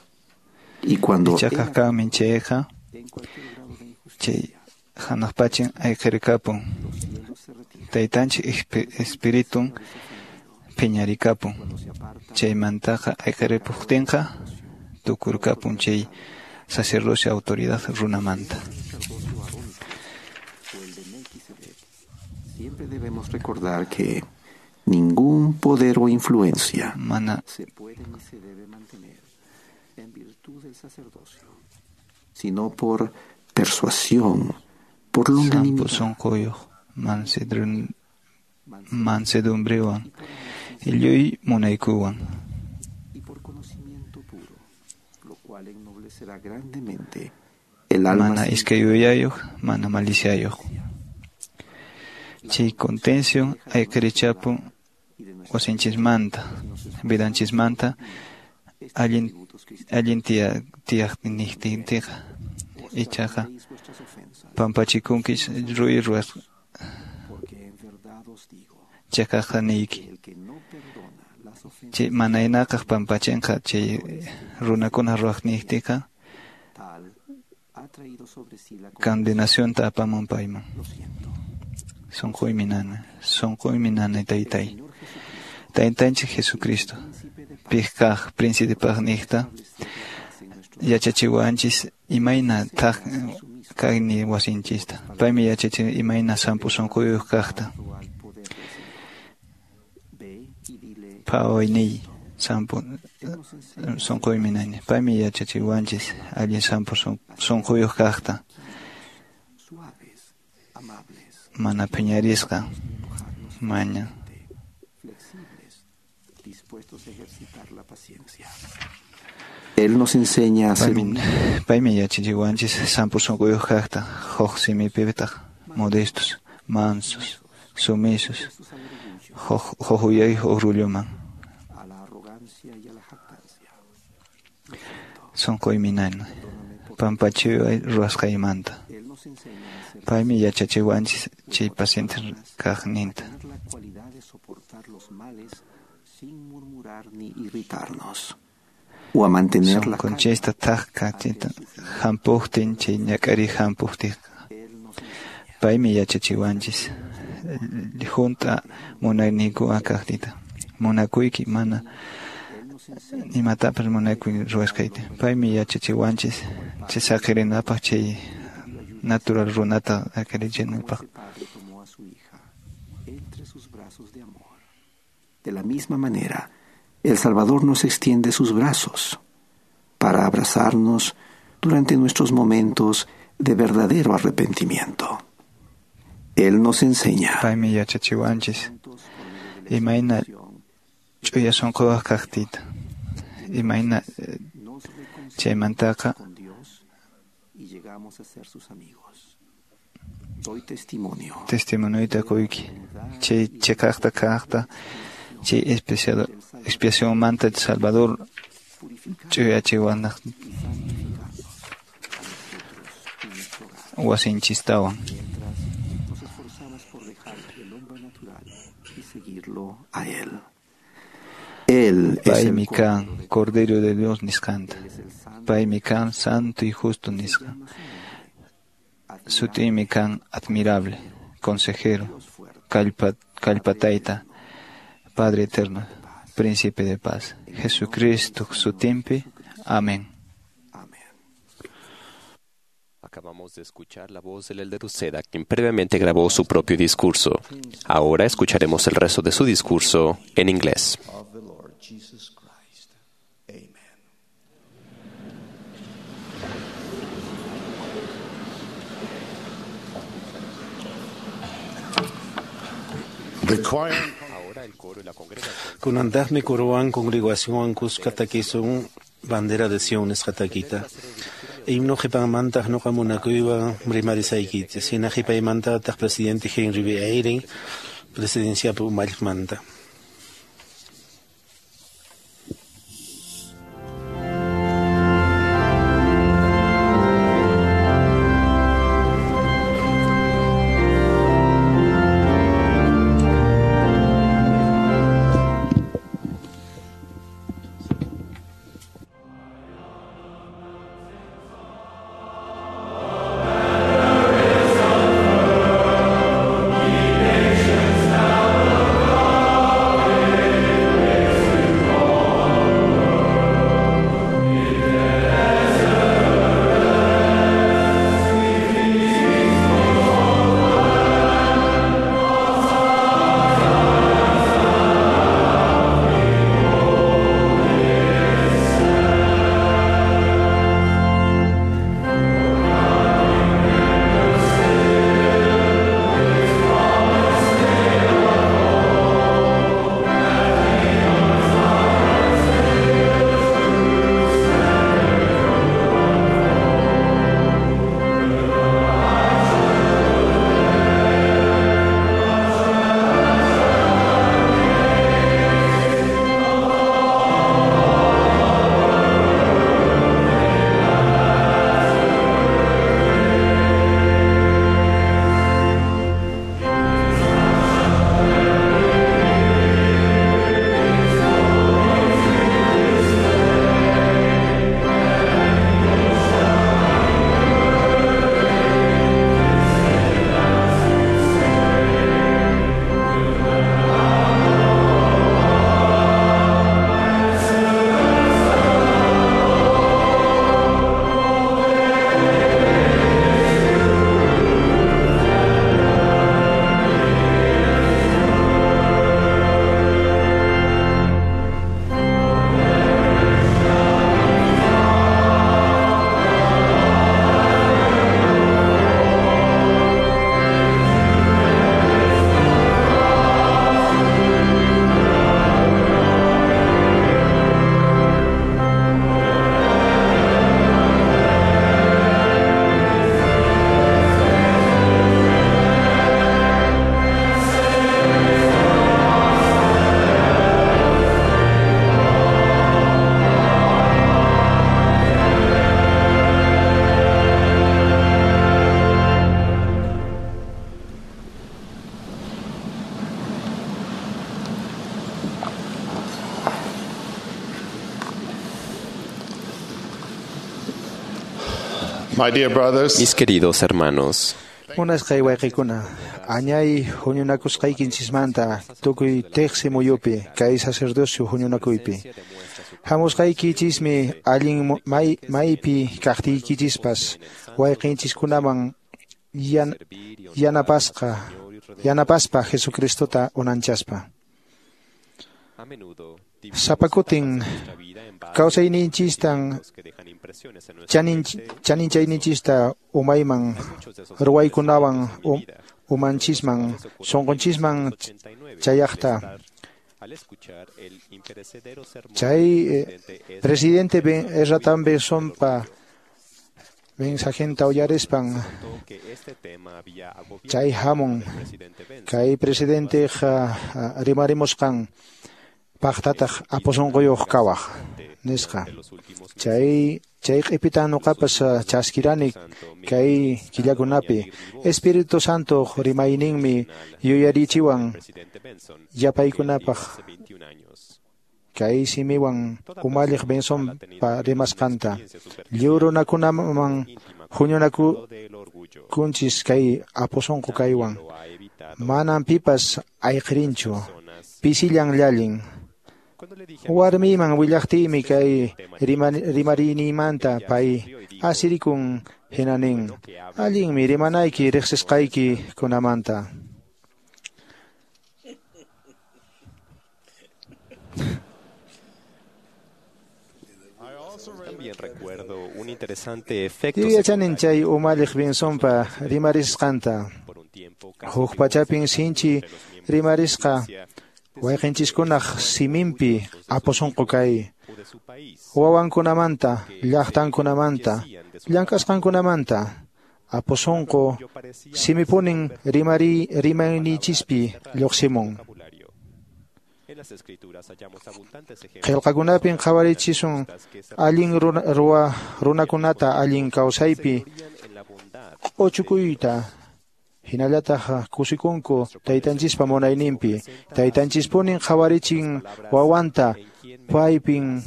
Speaker 11: Y cuando
Speaker 12: ichaqa kanmi chayqa chay hanaqpachin ayqirikapun taytanchik espiritun phiñarikapun chaymantaqa ayqiripuqtinqa tukurkapun chay sacerdocio autoridad runamanta.
Speaker 11: Siempre debemos recordar que ningún poder o influencia
Speaker 12: mana
Speaker 11: se puede ni se debe mantener en virtud del sacerdocio, sino por persuasión, por longanimidad.
Speaker 12: Sampu sunquyuq mansedumbrewan lluy munaykuwan
Speaker 11: y por conocimiento puro, lo cual ennoblecerá grandemente el alma.
Speaker 12: Mana iskay yuyayuq, mana maliciayuq. Chay contención ayqirichapun wasinchismanta, vidanchismanta allin allin tiya tiyaqnintinqa ichaqa pampachikunkis ruy ruwas chaqaqa niyki chay manaynaqaq pampachinqa chay runakuna ruwaqniytiqa condenacionta apamun payman. Sunquymi nana, sunquymi nana taytay. Taytanchik Jesucristo, piqkaq príncipepaqniqta yachachiwanchis imayna thaq kaqni wasinchista. Paymi yachachin imayna sampu sunquyuq kaqta. Phawayniy sampu sunquymi nani. Paymi yachachiwanchis allin sampu sunquyuq kaqta. Mana phiñarisqa maña.
Speaker 11: Él nos enseña a ser
Speaker 12: paymi yachachiwanchis sampu sunquyuq kaqta huk simipitaq modestos, mansos, sumisos, huk huk uyayuq orgulloman. Sunquymi nana pampachiway ruwasqaymanta. Paymi yachachiwanchis chay paciente kaqninta.
Speaker 11: O a mantener la
Speaker 12: Sunqunchista thaq kachita hampuqtin chay ñak'ariy hampuqtinqa. Paymi yachachiwanchis Hunt'a munayniykuwan kaqtiyta. Munakuyki mana imatapas munakuy ruwasqayta. Paymi yachachiwanchis chay saqirinapaq chay natural runata akarichinapaq.
Speaker 11: De la misma manera, el Salvador nos extiende sus brazos para abrazarnos durante nuestros momentos de verdadero arrepentimiento. Él nos enseña.
Speaker 12: Paymi yachachiwanchis imayna ch'uya sunquwaq kaqtiyta. Imayna chaymantaqa
Speaker 11: y llegamos a ser sus amigos. Doy testimonio.
Speaker 12: Testimonioyta quyki. Chay chiqaqta kaqta chay expiacionmanta Salvador ch'uyachiwanaq wasinchistawan.
Speaker 11: Nos esforzamos por dejar el hombre natural y seguirlo a él. Él es el
Speaker 12: Paymi kan Cordero de Dios nisqanta. Paymi kan santo y justo nisqa. Sutiymi kan admirable, consejero, kallpa, kallpatayta, Padre eterno, Príncipe de paz. Jesucristo sutinpi. Amén.
Speaker 5: Acabamos de escuchar la voz del Elder Uceda, quien previamente grabó su propio discurso. Ahora escucharemos el resto de su discurso en inglés.
Speaker 1: Of the Lord Jesus Christ. Amen.
Speaker 4: The choir
Speaker 5: Ahora el coro y la congregación.
Speaker 6: Kunantaqmi kuruwan congregacionwan kuska takisun bandera de Sion nisqa takita. Himno qhipanmantaq nuqa munakuywan rimarisaykichis. Hina qhipaymantataq presidente Henry B. Eyring presidenciapi umalliqmanta.
Speaker 4: My dear brothers,
Speaker 5: Mis queridos hermanos,
Speaker 13: Munasqay wayqikuna, Añay huñunakusqaykinchismanta tukuy teqsi muyupi kay sacerdocio huñunakuypi. Hamusqaykichismi allin may, maypi kaqtiykichispas wayqinchiskunaman yan, yanapasqa yanapaspa Jesucristota unanchaspa. Sapakutin kawsayninchistan chanin chaninchayninchista umayman ruwaykunawan um, umanchisman sunqunchisman chayaqta. Chay eh, presidente ben Ezra Bensonpa mensajenta uyarispan chay hamun kay presidente rimarimusqan paqtataq apusunquyuq kawaq nisqa. Chay chay q'ipitan nuqapas chaskirani kay killakunapi Espíritu Santo rimayninmi yuyarichiwan yapaykunapaq kay simiwan umalliq Bensonpa rimasqanta. Lliw runakunaman huñunakunchis kay apusunqu kaywan. Manam pipas ayqirinchu, pisillan llallin. Warmiyman willaqtiymi kay rimarinimanta pay asirikun hina nin. Allinmi rimanayki riqsisqayki kunamanta. Yuyachanin chay umalliq Bensonpa rimarisqanta. Huk pachapin sinchi rimarisqa wayqinchiskunaq siminpi apusunqu kay wawankunamanta, llaqtankunamanta, llank'asqankunamanta apusunqu simipunin rimari rimaynichispi lluqsimun. Qillqakunapin qhawarichisun allin ruwa runakunata allin kawsaypi q'uchukuyta hinallataq kusikunku taytanchispa munayninpi. Taytanchispunin qhawarichin wawanta paypin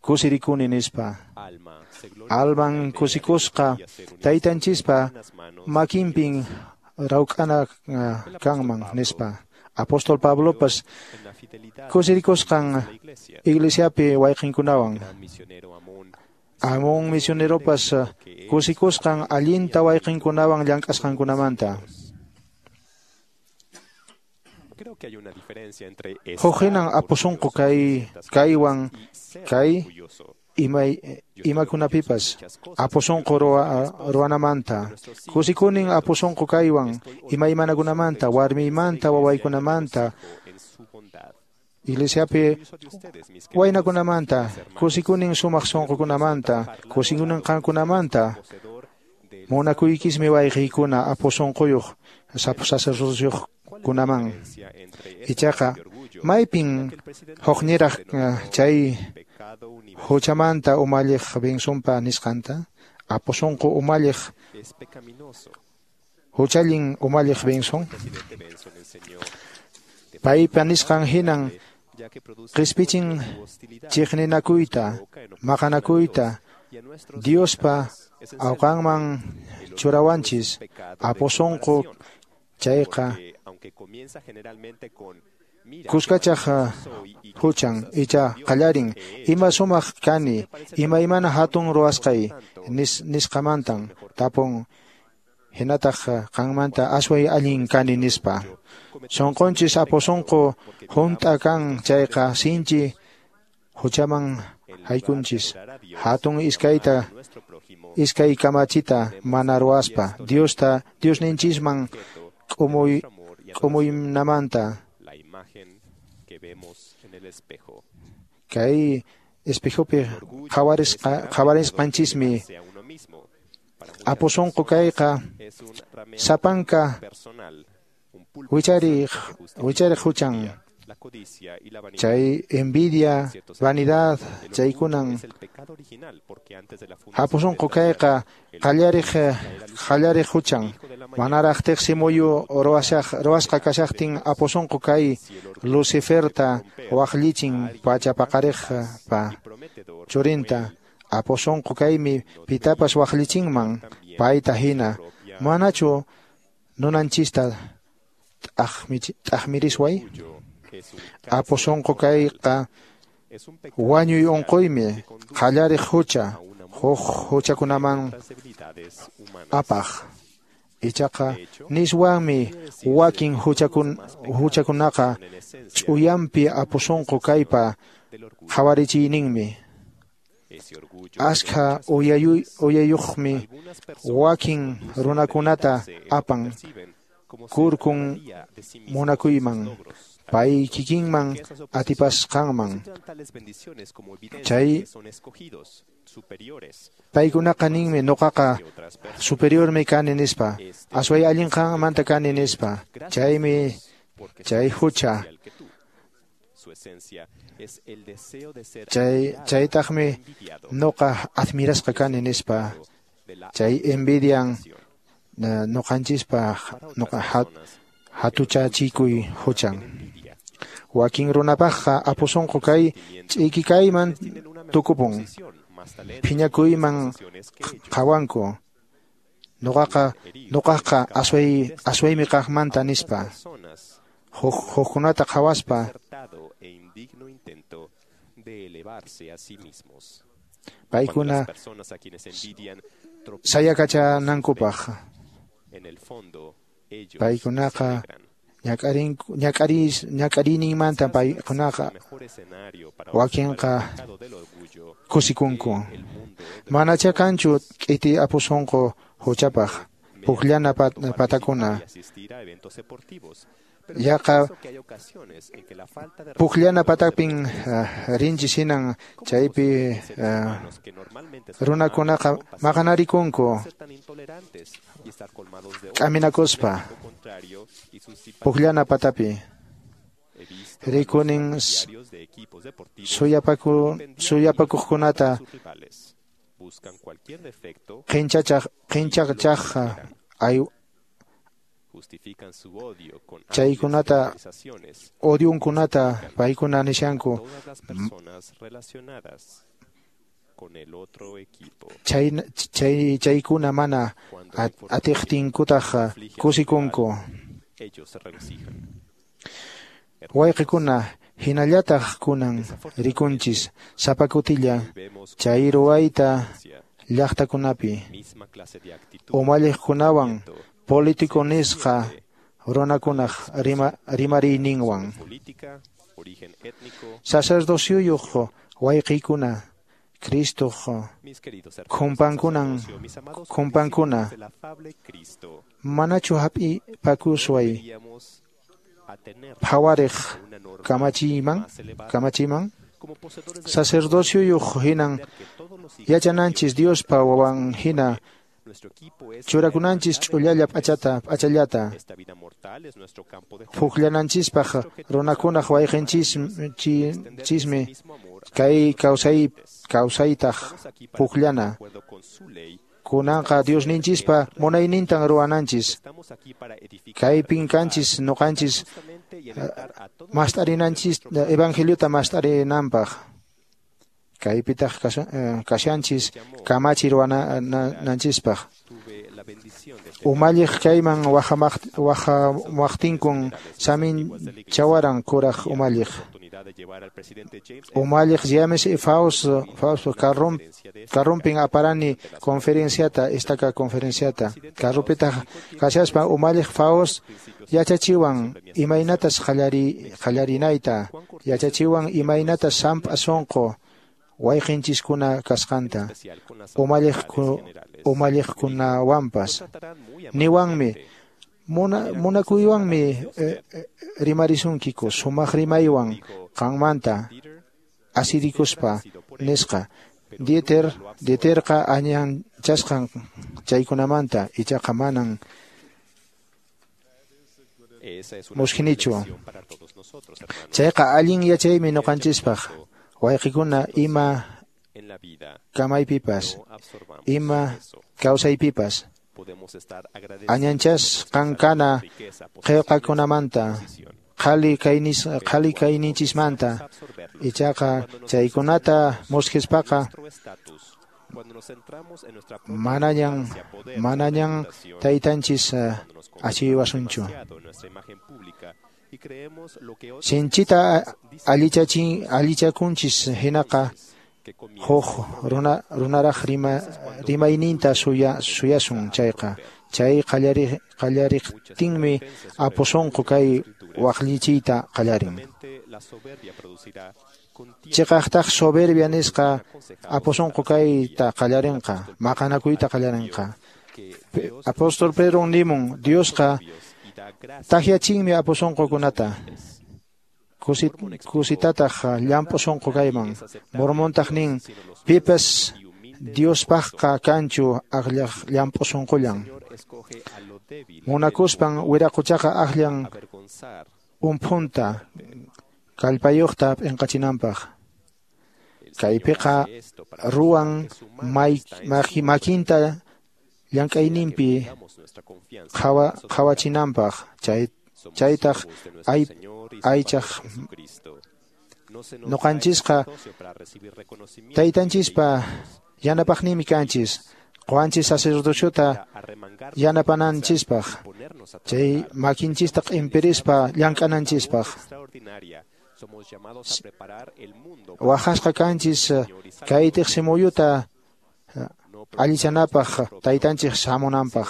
Speaker 13: kusirikuni nispa. Alman kusikusqa taytanchispa makinpin rawk'ana kanman nispa. Apóstol Pablopas kusirikusqan iglesiapi wayqinkunawan. Amón misioneropas kusikusqan allinta wayqinkunawan llank'asqankunamanta. Huk hinan apusunqu kay kaywan kay imay imakunapipas apusunqu ruwanamanta. Kusikunin apusunqu kaywan imaymanakunamanta, warmiymanta, wawaykunamanta, iglesiapi waynakunamanta, kusikunin sumaq sunqukunamanta, kusikunin qankunamanta. Munakuykismi wayqiykuna apusunquyuq sacerdociokunaman. Ichaqa maypin hukniraq chay huchamanta umalliq Bensonpa nisqanta? Apusunqu umalliq huchallin umalliq Benson paypa nisqan hinan qispichin chiqninakuyta, maqanakuyta, Diospa awqanman churawanchis apusunqu chayqa kuskachaq huchan icha qallarin ima sumaq kani imaymana hatun ruwasqay nis, nisqamantan tapun hinataq qanmanta asway allin kani nispa. Sunqunchis apusunqu hunt'a kan chayqa sinchi huchaman haykunchis hatun iskayta iskay kamachita mana ruwaspa Diosta Diosninchisman k'umuy k'umuynamanta. Kay espejopi qhawarisqa qhawarisqanchismi apusunqu kayqa sapanka wichariq wichariq huchan chay envidia, vanidad, chaykunan apusunqu kayqa qallariq qallariq huchan manaraq tiqsi muyu ruwashaq ruwasqa kashaqtin apusunqu kay Luciferta waqllichin pacha paqariqpa churinta. Apusunqu kaymi pitapas waqllichinman payta hina manachu nunanchista t'aqmirisway? Apu sunqu kayqa wañuy unquymi, qallariq hucha, huk huchakunaman apaq. Ichaqa niswanmi wakin huchakun huchakunaqa ch'uyanpi apu sunqu kaypa qhawarichiyninmi. Askha uyayuqmi wakin runakunata apan kurkun munakuyman, pay kikinman atipasqanman. Chay paykunaqa ninmi nuqaqa superiormi kani nispa, asway allin qanmanta kani nispa. Chaymi chay hucha. Chay chaytaqmi nuqa admirasqa kani nispa. Chay envidian nuqanchispaq nuqa hatuchachikuy huchan. Wakin runapaqqa apu sunqu kay ch'iki kayman tukupun, phiñakuyman qhawanku. Nuqaqa nuqaqqa asway aswaymi kaqmanta nispa. Huk hukkunata qhawaspa paykuna sayakachanankupaq. Paykunaqa ñak'arinku ñak'aris ñak'ariyninmanta paykunaqa wakinqa kusikunku. Manacha kanchu k'iti apu sunqu huchapaq pukllana patakuna. Yaqa pukllana patapin rinchis hinan chaypi runakunaqa maqanarikunku k'aminakuspa pukllana patapi. Rikunin suyapaku suyapakuqkunata qinchachaq qinchachaq ay chaykunata odiunkunata paykuna nishanku. Chay chay chaykuna mana atiqtinkutaq kusikunku. Wayqikuna hinallataq kunan rikunchis sapa kutilla chay ruwayta llaqtakunapi umalliqkunawan político nisqa runakunaq rima, rimariyninwan. Sacerdosyuyuq wayqiykuna Cristoq khumpankunan khumpankuna manachu hap'ipakusway phawariq kamachiyman kamachiman? Sacerdosyuyuq hinan yachananchis Diospa wawan hina churakunanchis ch'ullalla p'achata p'achallata pukllananchispaq runakunaq wayqinchismi kay kawsay kawsaytaq pukllana. Kunanqa Diosninchispa munaynintan ruwananchis. Kaypin kanchis nuqanchis mast'arinanchis evangeliota mast'arinanpaq. Kaypitaq kashanchis kamachi ruwananchispaq. Umalliq kayman wajamaqtinkun samin chawaran kuraq umalliq. Umalliq James Faust Faust karrum karrumpin aparani conferenciata estaca conferenciata. Karrupitaq kashaspa umalliq Faust yachachiwan imaynatas qallari qallarinayta, yachachiwan imaynatas samp'a sunqu wayqinchiskuna kasqanta umalliq umalliqkunawanpas. Niwanmi muna munakuywanmi eh, rimarisunkiku sumaq rimaywan qanmanta asirikuspa nisqa. Dieter Dieterqa añanchasqan chaykunamanta ichaqa manan muskhinichu. Chayqa allin yachaymi ñuqanchispaq. Wayqikuna ima kamaypipas, ima kawsaypipas añanchasqan kana qillqakunamanta qhali kaynis qhali kayninchismanta ichaqa chaykunata muskhispaqa Manañan manañan taytanchis achiwasunchu. Sinchita allichachin allichakunchis hinaqa huk runa runaraq rima rimayninta suya suyasun chayqa chay qallari qallariqtinmi apu sunqu kay waqllichiyta qallarin. Chiqaqtaq soberbia nisqa apu sunqu kayta qallarinqa maqanakuyta qallarinqa. Apóstol Pedro nimun Diosqa takyachinmi apu sunqukunata kusitataq llamp'u sunqu kayman. Mormontaq nin pipas Diospaqqa kanchu akllaq llamp'u sunqullan. Munakuspan wiraquchaqa akllan umphunta kallpayuqta p'inqachinanpaq. Kaypiqa ruwan makinta llank'ayninpi qhawa qhawachinanpaq chay chaytaq ay aychaq nuqanchisqa taytanchispa yanapaqninmi kanchis quwanchis sacerdociota yanapananchispaq chay makinchista q'impirispa llank'ananchispaq. Waqasqa kanchis kay tiqsimuyuta allichanapaq taytanchik hamunanpaq.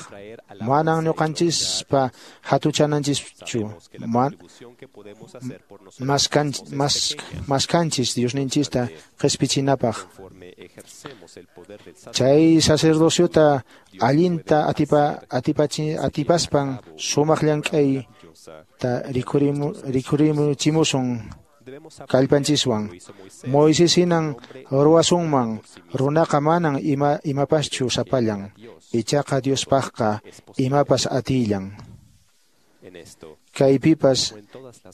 Speaker 13: Manan ñuqanchispa hatuchananchischu maskanchis Diosninchista qispichinapaq. Chay sacerdociota allinta atipa atipachi atipaspan sumaq llank'ayta rikurimu rikurimuchimusun kallpanchiswan. Moisés hinan ruwasunman runaqa manan ima imapaschu sapallan ichaqa Diospaqqa imapas atillan. Kaypipas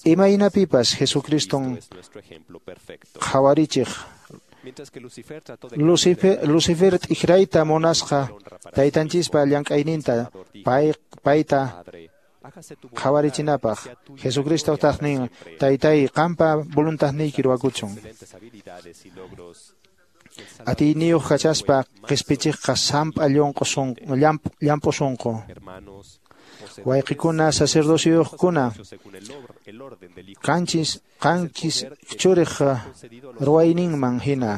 Speaker 13: imaynapipas Jesucriston qhawarichiq. Lucifer Lucifer t'ikrayta munasqa taytanchispa llank'ayninta pay payta qhawarichinapaq. Jesucristo taq nin taytay qampa voluntadniyki ruwakuchun. Atiyniyuq kachaspa qispichiqqa samp'a llunqu llamp'u sunqu. Wayqikuna sacerdociyuqkuna kanchis qanchis churiq ruwayninman hina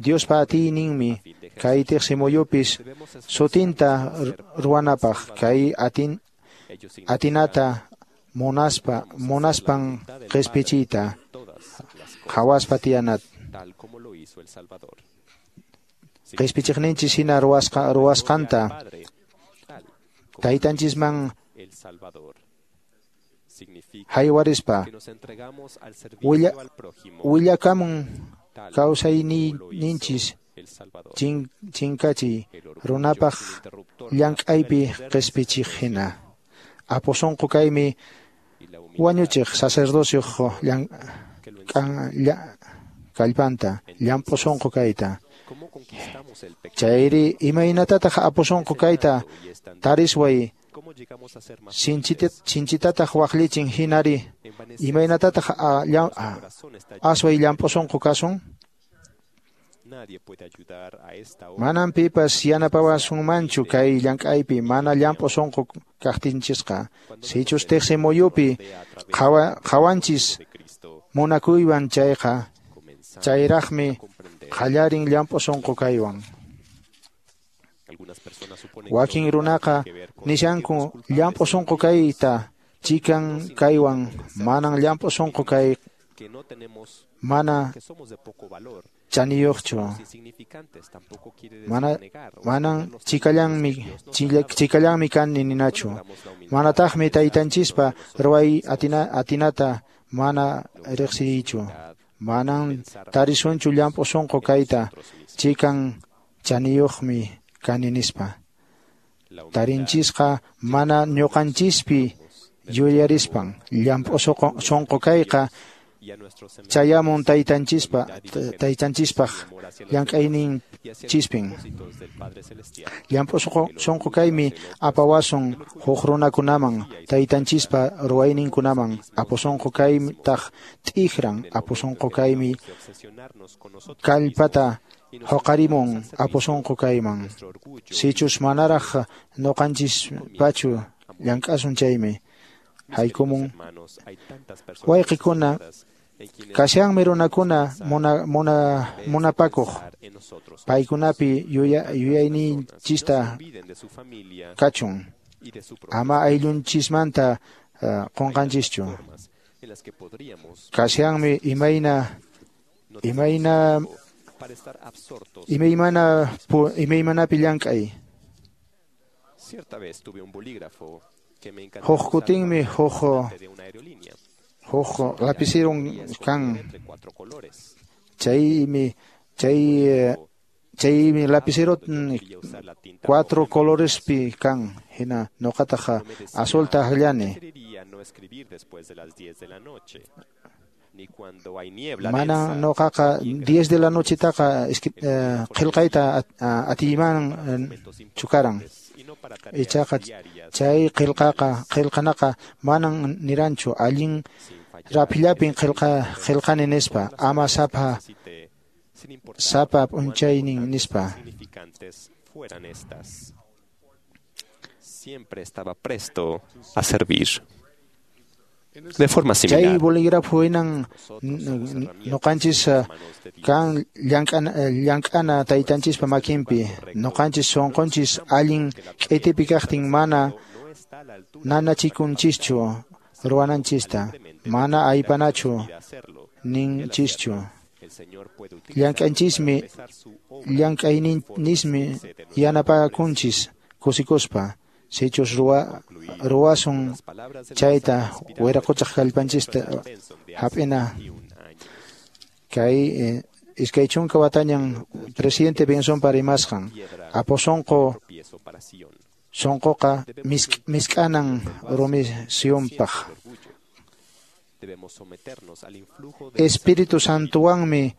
Speaker 13: Diospa atiyninmi kay tiqsimuyupis sutinta ruwanapaq kay atin atinata munaspa munaspan qispichiyta qhawaspa tiyanat. Qispichiqninchis hina ruwasqa ruwasqanta taytanchisman haywarispa willa willakamun kawsayninchis chin chinkachiy runapaq llank'aypi qispichiq hina. Apu sunqu kaymi wañuchiq sacerdocioq kallpanta llamp'u sunqu kayta. Chayri imaynatataq apu sunqu kayta tarisway sinchitataq waqllichin hinari imaynatataq asway llamp'u sunqu kasun. Manan pipas yanapawasunmanchu kay llank'aypi mana llamp'u sunqu kaqtinchisqa. Sichus tiqsimuyupi qhawanchis munakuywan chayqa chayraqmi qallarin llamp'u sunqu kaywan. Wakin runaqa nishanku llamp'u sunqu kayta chikan kaywan manan llamp'u sunqu kay mana chaniyuqchu mana manan chikallanmi chikallanmi kani ninachu manataqmi taytanchispa ruway atina atinata mana riqsiychu manan tarisunchu llamp'u sunqu kayta chikan chaniyuqmi kani nispa. Tarinchisqa mana ñuqanchispi yuyarispan llamp'u sunqu kayqa chayamun taytanchispa taytanchispaq llank'aynin chispin. Llamp'u sunqu kaymi apawasun huk runakunaman taytanchispa ruwayninkunaman. Apu sunqu kaytaq t'ikran. Apu sunqu kaymi kallpata huqarimun apu sunqu kayman. Sichus manaraq nuqanchispachu llank'asun chaymi haykumun. Wayqikuna, kashanmi runakuna muna, muna, munapakuq paykunapi yuya, yuyayninchista kachun, ama ayllunchismanta uh, qunqanchischu. Kashanmi imayna imayna imaymana imaymanapi llank'ay. Huk kutinmi huk huk lapicero kan, chaymi chay chaymi lapicero cuatro colorespi kan, hina nuqataqa azulta akllani. Mana nuqaqa diez de la nochetaqa qillqayta atiyman chukaran. Ichaqa chay qillqaqa qillqanaqa manan niranchu allin raphillapin qillqa qillqani nispa, ama sapa sapa p'unchaynin nispa.
Speaker 5: Siempre estaba presto a servir. De forma similar,
Speaker 13: chay bolígrafo hinan nuqanchis kan llank'ana llank'ana taytanchispa makinpi. Nuqanchis sunqunchis allin k'itipi kaqtin mana nanachikunchischu ruwananchista, mana aypanachu ninchischu. Llank'anchismi llank'ayninismi yanapakunchis kusikuspa. Sichus ruwa ruwasun chayta wiraquchaq kallpanchista hap'ina. Kay eh, iskay chunka watañan presidente Bensonpa rimasqan apu sunqu sunquqa misk'anan rumi Sionpaq. Espíritu Santowanmi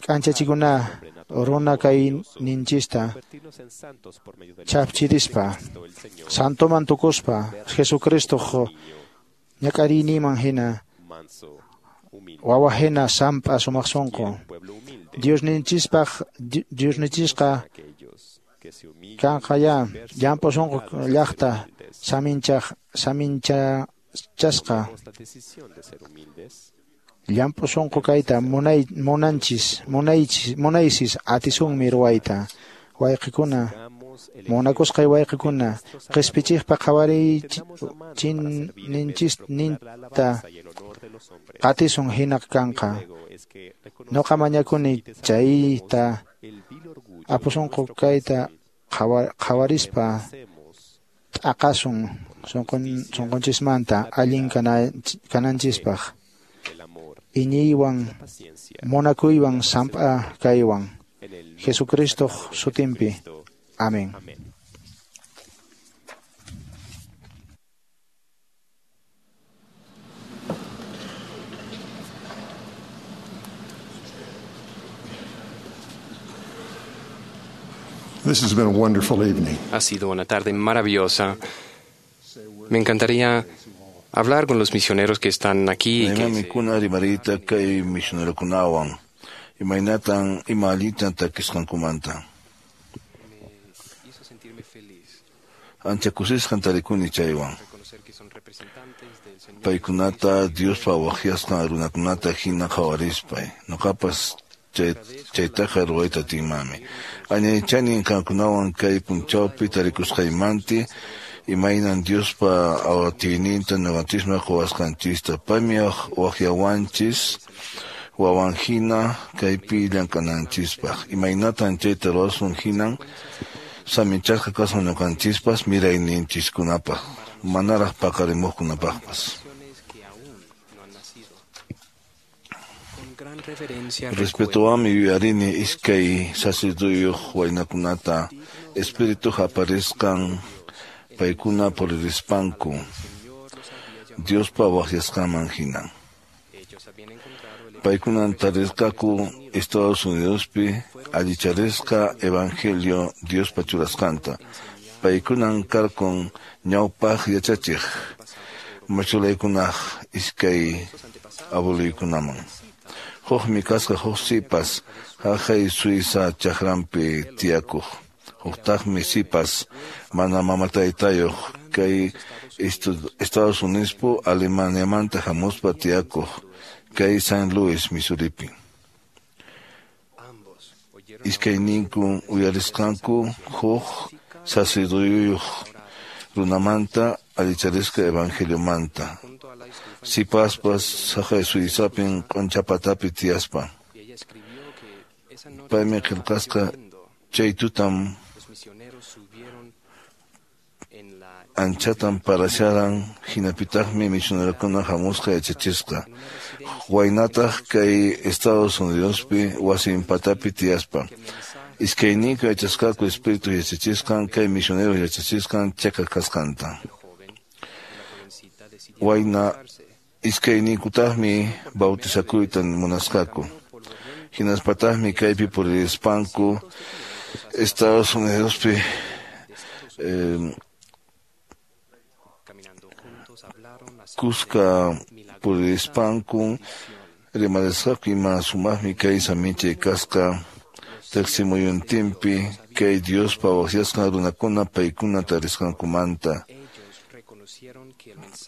Speaker 13: k'anchachikuna runa kayninchista chapchirispa santoman tukuspa Jesucristoq ñak'ariyninman hina wawa hina samp'a sumaq sunqu. Diosninchispaq Diosninchisqa kanqa ya llamp'u sunqu llaqta saminchaq saminchachasqa. Llamp'u sunqu kayta munay munanchis munaychis munaysis atisunmi ruwayta. Wayqikuna, munakusqay wayqikuna, qispichiqpa qhawariyninchista qatisun hina kanqa. Nuqa mañakuni chayta apu sunqu kayta qhawarispa t'aqasun sunqunchismanta allin kananchispaq. Iñiywan munakuywan samp'a kaywan Jesucristoq sutinpi. Amén.
Speaker 4: This has been a wonderful evening.
Speaker 8: Ha sido una tarde maravillosa. Me encantaría hablar con los misioneros que están aquí. Y que
Speaker 3: mikuna rimarita kay misionerokunawan imaynatan ima allintan takisqankumanta. Ancha kusisqan tarikuni chaywan. Paykunata Diospa waqyasqan runakunata hina qhawarispay nuqapas chaytaqa ruwayta atinmanmi. Añaychanin qankunawan kay punchawpi tarikusqaymanti imaynan Diospa awatiyninta ñuqanchisman quwasqanchista. Paymi waqyawanchis wawan hina kaypi llank'ananchispaq. Imaynatan chayta ruwasun hinan saminchasqa kasun ñuqanchispas mirayninchiskunapaq manaraq paqarimuqkunapaqpas. Respetuwanmi yuyarini iskay sacerdoteyuq waynakunata Espirituq aparisqan paykuna puririspanku Diospa waqyasqanman hinan. Paykunan tarisqaku Estados Unidospi allicharisqa evangelio Diospa churasqanta. Paykunan karkun ñawpaq yachachiq machulaykunaq iskay abueluykunaman. Hukmi kasqa huk sipas haqay Suiza chakranpi tiyakuq. Huktaqmi sipas mana mama taytayuq kay Estados Unidospi Alemaniamanta hamuspa tiyakuq kay San Luis, Missouripi. Iskayninku uyarisqanku huk sacerdoteyuq runamanta allicharisqa evangeliomanta. Sipaspas haqay Suizapin q'unchapatapi tiyaspa. Paymi qillqasqa chay tutam anchatan parasharan hinapitaqmi misionerokuna hamusqa yachachisqa. Waynataq kay Estados Unidospi wasinpatapi tiyaspa. Iskayninku yachasqaku espíritu yachachisqan kay misionero yachachisqan cheqa kasqanta. Wayna iskayninkutaqmi bautizakuyta munasqaku. Hinaspataqmi kaypi puririspanku Estados Unidospi eh, kuska puririspanku rimarisqaku ima sumaqmi kay saminchay kasqa teqsimuyuntinpi kay Diospa waqyasqan runakuna paykuna tarisqankumanta.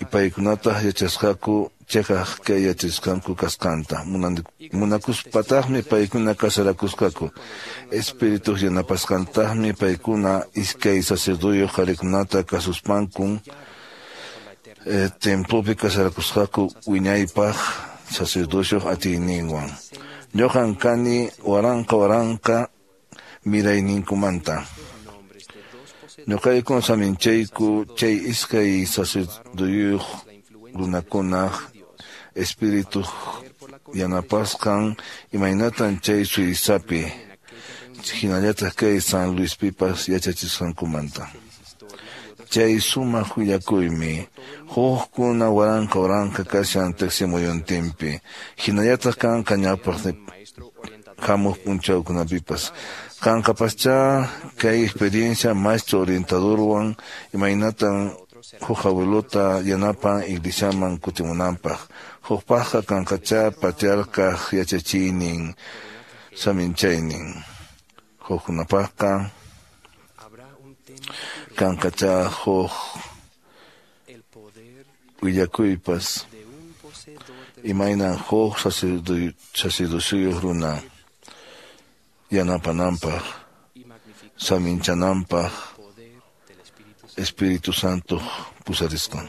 Speaker 3: Y paykunataq yachasqaku cheqaq kay yachasqanku kasqanta. Munakuspataqmi paykuna kasarakusqaku. Espírituq yanapasqantaqmi paykuna iskay sacerdoteyuq qharikunata kasuspankun eh, templopi kasarakusqaku wiñaypaq sacerdocioq atiyninwan. Ñuqan kani waranqa waranqa mirayninkumanta. Ñuqaykun saminchayku chay iskay sacerdoteyuq runakunaq espírituq yanapasqan imaynatan chay Suizapi hinallataq kay San Luispipas yachachisqankumanta. Chay sumaq willakuymi hukkuna waranqa waranqa kashan teqsimuyuntinpi hinallataq kanqa ñawpaq hamuq p'unchawkunapipas. Kanqapaschá kay experiencia maestro orientadorwan imaynatan huk abuelota yanapan iglesiaman kutimunanpaq. Hukpaqqa kanqachá patriarcaq yachachiynin saminchaynin. Hukkunapaqqa kanqachá huk willakuypas imaynan huk sacerdocioyuq runa yanapananpaq saminchananpaq Espíritu Santo pusarisqan.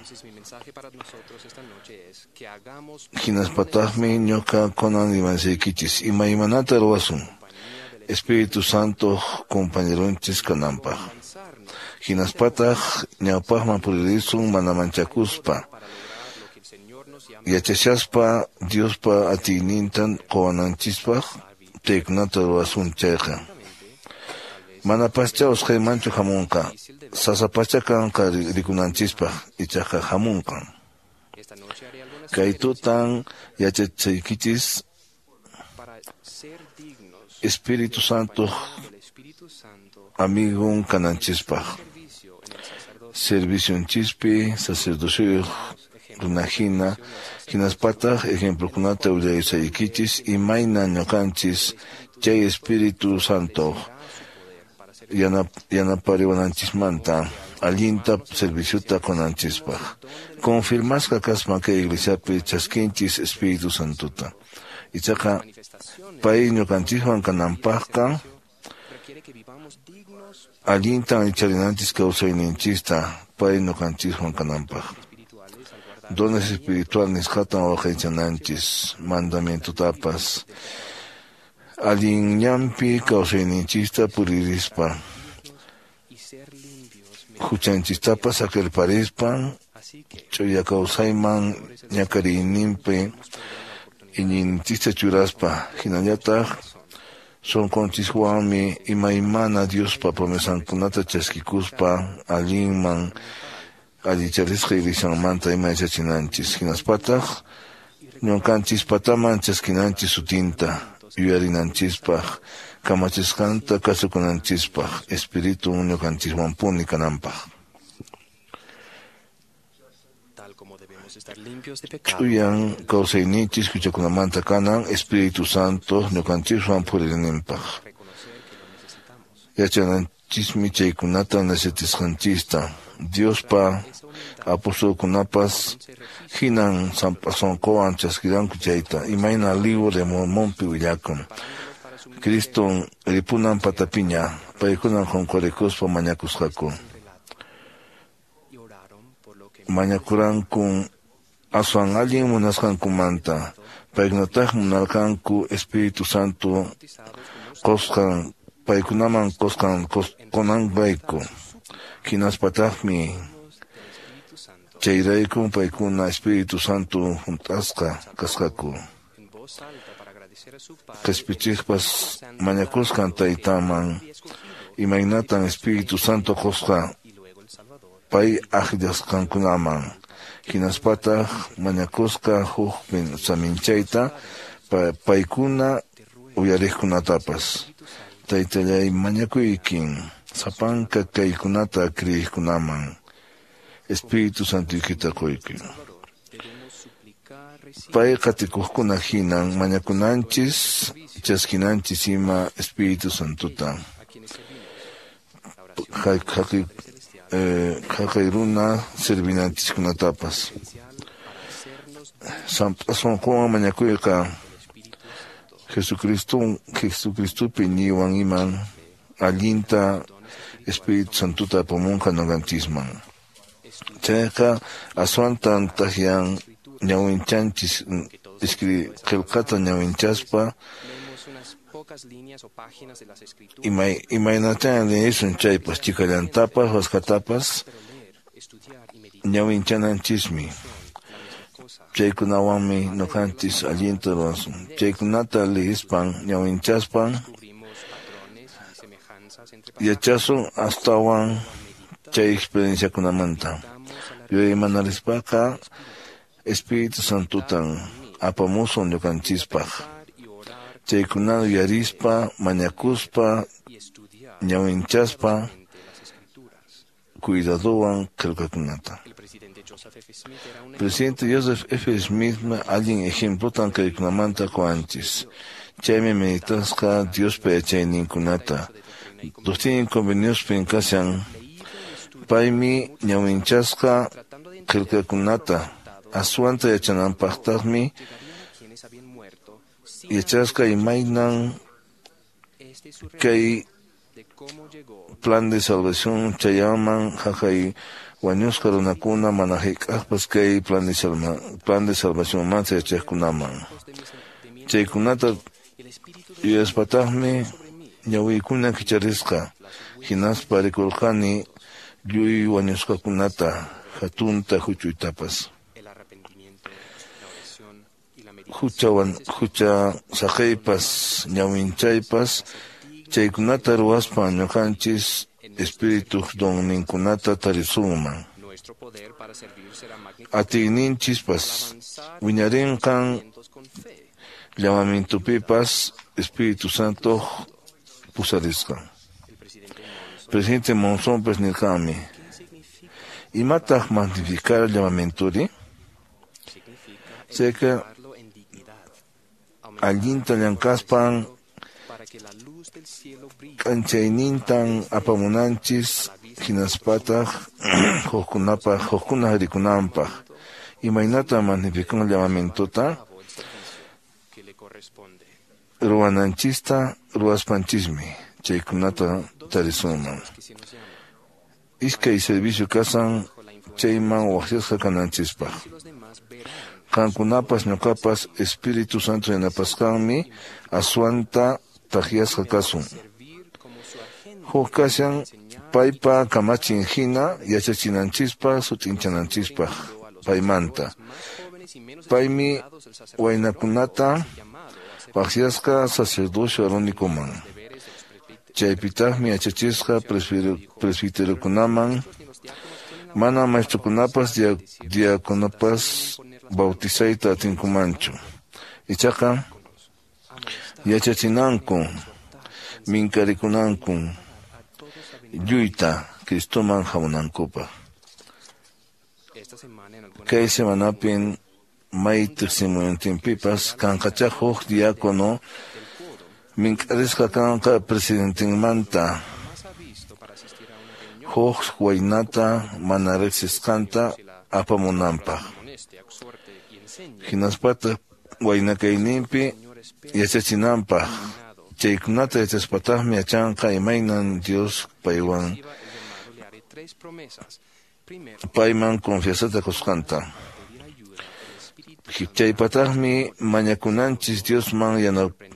Speaker 3: Hinaspataqmi ñuqa kunan rimansaykichis imaymanata ruwasun Espíritu Santo compañeronchis kananpaq. Hinaspataq ñawpaqman puririsun mana manchakuspa yachashaspa Diospa atiynintan quwananchispaq chaykunata ruwasun chayqa. Manapascha usqhaymanchu hamunqa, sasapacha kanqa rikunanchispaq ichaqa hamunqan. Kay tutan yachachaykichis Espíritu Santo amigon kananchispaq. Servicionchispi sacerdocioyuq runahina hinaspataq ejemplokunata willasaykichis imayna ñuqanchis chay Espíritu Santo yanapariwananchismanta allinta serviciota qunanchispaq. Confirmasqa kaspa kay iglesiapi chaskinchis Espíritu Santota. Ichaqa pay ñuqanchiswan kananpaqqa allintan allicharinanchis kawsayninchista pay ñuqanchiswan kananpaq. Dones espiritual nisqatan waqaychananchis mandamientotapas allin ñanpi kawsayninchista puririspa huchanchistapas saqirparispa ch'uya kawsayman ñakariyninpi iñiyninchista churaspa hinallataq sunqunchiswanmi imaymana Diospa promesankunata chaskikuspa allinman allicharisqa iglesianmanta ima yachachinanchis hinaspataq Ñuqanchispataman chaskinanchis sutinta, yuyarinanchispaq, kamachisqanta kasukunanchispaq, Espiritun ñuqanchiswanpuni kananpaq. Ch'uyan kawsayninchis huchakunamanta kanan Espíritu Santo ñuqanchiswan puririnanpaq. Yachananchismi chaykunata necesitasqanchista. Diospa apostolkunapas hinan sunquwan chaskiranku chayta. Imayna Libro de Mormonpi willakun. Criston ripunan patapiña, paykunan qunqurikuspa mañakusqaku. Mañakurankun aswan allin munasqankumanta, paykunataq munarqanku Espíritu Santo qusqan, paykunaman qusqan qunanrayku. Hinaspataqmi chayrayku paykuna Espíritu Santo hunt'asqa kasqaku. Qhispichiqpas mañakusqan taytaman imaynatan Espíritu Santo qusqa pay akllasqankunaman. Hinaspataq mañakusqa huk saminchayta paykuna uyariqkunatapas. Taytallay mañakuykin sapanka kaykunata kriyiqkunaman Espíritu Santoykita quyki. Pay qatikuqkuna hinan mañakunanchis chaskinanchis ima Espíritu Santota. Haqay runa servinanchiskunatapas. Sunquwan mañakuyqa Jesucristo Jesucristopi iñiywan iman allinta Espíritu Santota apamunqa ñuqanchisman. Chayqa aswantan taqyan ñawinchanchis qillqata ñawinchaspa imay imaynatan leyisun chaypas chikallantapas waskatapas ñawinchananchismi. Chaykunawanmi ñuqanchis allinta ruwasun. Chaykunata liyispan ñawinchaspan yachasun astawan chay experienciakunamanta. Yuyaymanaspaqa Espíritu Santotan apamusun ñuqanchispaq. Chaykunata yuyarispa, mañakuspa, ñawinchaspa cuidadowan qillqakunata. Presidente Joseph F. Smith allin ejemplotan kaykunamanta quwanchis. Chaymi meditasqa Diospa yachayninkunata. Doctrina y Conveniospin kashan paymi ñawinchasqa qillqakunata. Aswanta yachananpaqtaqmi yachasqa imaynan kay plan de salvación chayaman haqay wañusqa runakuna mana hayk'aqpas kay plan de salva plan de salvación manta yachaqkunaman. Chaykunata yuyaspataqmi ñawiykuna kicharisqa hinaspa rikurqani lluy wañusqakunata hatunta huch'uytapas. Huchawan hucha saqaypas ñawinchaypas chaykunata ruwaspa ñuqanchis Espírituq donninkunata tarisunman. Atiyninchispas wiñarinqan llamamientopipas Espíritu Santo pusarisqan. Presidente Monson nirqanmi, imataq magnificar llamamientori? Chayqa allinta llank'aspan k'anchaynintan apamunanchis hinaspataq hukkunapaq hukkunaq rikunanpaq. Imaynatan magnifican llamamientota? Ruwananchista ruwaspanchismi chaykunata tarisunman. Iskay servicio kasan chayman waqyasqa kananchispaq. Qankunapas ñuqapas Espíritu Santo yanapasqanmi aswanta taqyasqa kasun. Huk kashan paypa kamachin hina yachachinanchispaq sut'inchananchispaq paymanta. Paymi waynakunata waqyasqa sacerdocio aarónicoman. Chaypitaqmi yachachisqa presbiterokunaman, mana maestrokunapas diaconopas bautizayta atinkumanchu. Ichaqa yachachinanku, minkarikunanku lluyta Cristoman hamunankupaq. Kay semanapin may tiqsimuyuntinpipas kanqachá huk diácono mink'arisqa kanqa presidentenmanta huk waynata mana riqsisqanta apamunanpaq. Hinaspataq wayna kayninpi yachachinanpaq. Chaykunata yachaspataqmi yachanqa imaynan Dios paywan payman confianzata qusqanta. Chaypataqmi mañakunanchis Diosman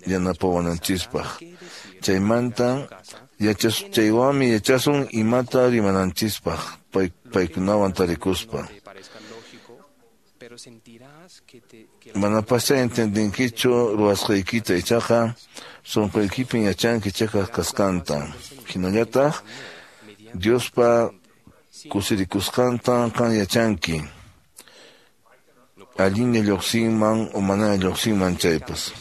Speaker 3: yanapawananchispaq. Chaymanta yachas chaywanmi yachasun imata rimananchispaq pay, paykunawan tarikuspa. Manapaschá entendinkichu ruwasqaykita ichaqa sunquykipin yachanki chayqa kasqanta. Hinallataq Diospa kusirikusqanta qan yachanki. Allinlla lluqsinman o mana lluqsinman chaypas.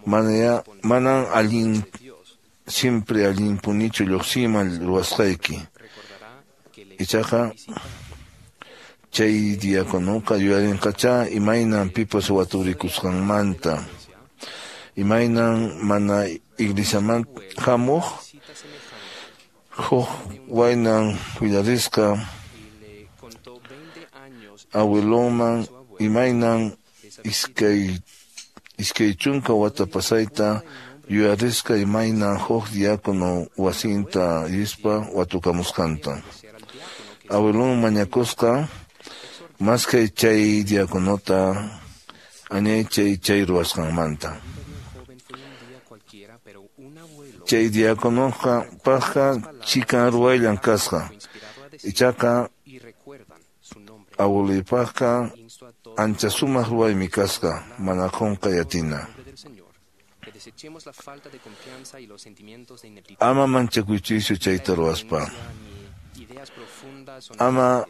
Speaker 3: Manaya manan allin siempre allinpunichu lluqsinman ruwasqayki. Ichaqa chay diáconoqa yuyarinqachá imaynan pipas waturikusqanmanta, imaynan mana iglesiaman hamuq huk waynan willarisqa abuelonman imaynan iskay iskay chunka wata pasayta yuyarisqa imaynan huk diácono wasinta rispa watukamusqanta. Abuelon mañakusqa maskay chay diáconota añay chay chay ruwasqanmanta. Chay diáconoqa paqqa chikan ruwayllan kasqa. Ichaqa abueluypaqqa ancha sumaq ruwaymi kasqa mana qunqay atina. Ama manchakuychischu chayta ruwaspa. Ama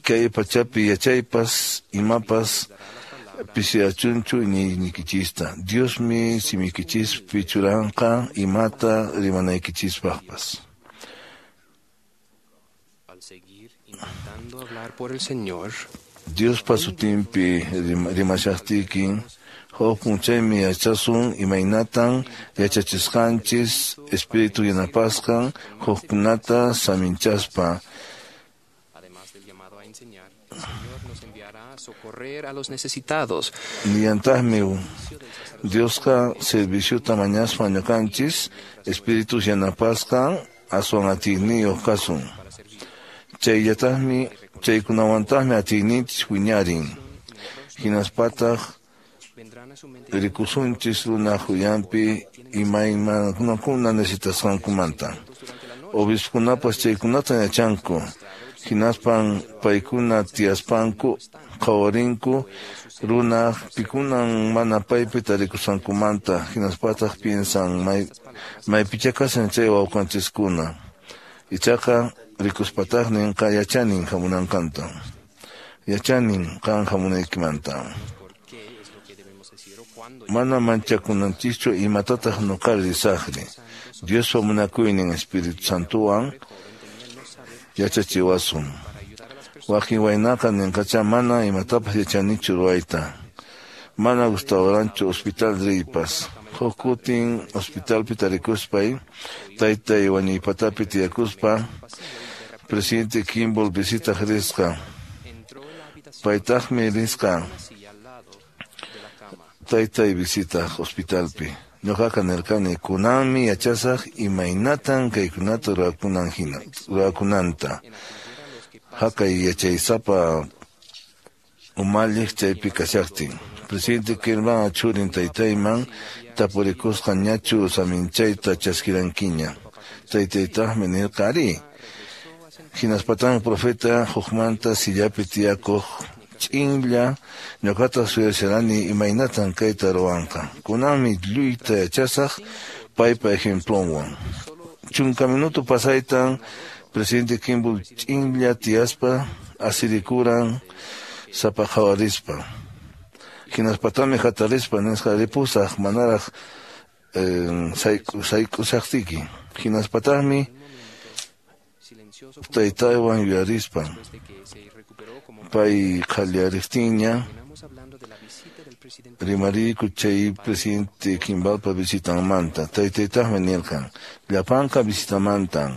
Speaker 3: kay pachapi yachaypas imapas pisiyachunchu iñiynikichista. Diosmi simikichispi churanqa imata rimanaykichispaqpas. Diospa sutinpi rimashaqtiykin huk p'unchaymi yachasun imaynatan yachachisqanchis Espíritu yanapasqan hukkunata saminchaspa. Nillantaqmi Diosqa serviciota mañaspa ñuqanchis Espíritu yanapasqan aswan atiyniyuq kasun. Chayllataqmi chaykunawantaqmi atiyninchis wiñarin. Hinaspataq rikusunchis runaq uyanpi imaymanakuna necesitasqankumanta. Obispokunapas chaykunata yachanku. Hinaspan paykuna tiyaspanku qhawarinku runaq pikunan mana paypi tarikusqankumanta. Hinaspataq piensan may maypichá kashan chay wawqanchiskuna. Ichaqa rikuspataq ninqa yachanin hamunanqanta. Yachanin qan hamunaykimanta. Mana manchakunanchischu imatataq nuqari risaqri. Diospa munakuynin Espíritu Santowan yachachiwasun. Wakin waynaqa ninqachá mana imatapas yachanichu ruwayta. Mana gustawaranchu hospital riypas. Huk kutin hospitalpi tarikuspay, taytay wañuypatapi tiyakuspa, presidente Kimball visitaq risqa. Paytaqmi risqa taytay visitaq hospitalpi. Ñuqaqa nirqani kunanmi yachasaq imaynatan kaykunata ruwakunan hina ruwakunanta. Haqay yachaysapa umalliq chaypi kashaqtin. Presidente Kimball churin taytayman tapurikusqa ñachu saminchayta chaskirankiña. Taytaytaqmi nirqa ari. Hinaspataqmi profeta hukmanta sillapi tiyakuq ch'inlla ñuqataq suyasharani imaynatan kayta ruwanqa. Kunanmi lluyta yachasaq paypa ejemplonwan. Chunka minuto pasaytan presidente Kimball ch'inlla tiyaspa asirikuran sapa qhawarispa. Hinaspatami hatarispa nisqa ripusaq manaraq sayk'usaqtiki. Hinaspataqmi taytaywan yuyarispa pay qhallariqtinña rimariyku chay presidente Kimbalpa visitanmanta. Taytaytaqmi nirqan llapanqa visitamantan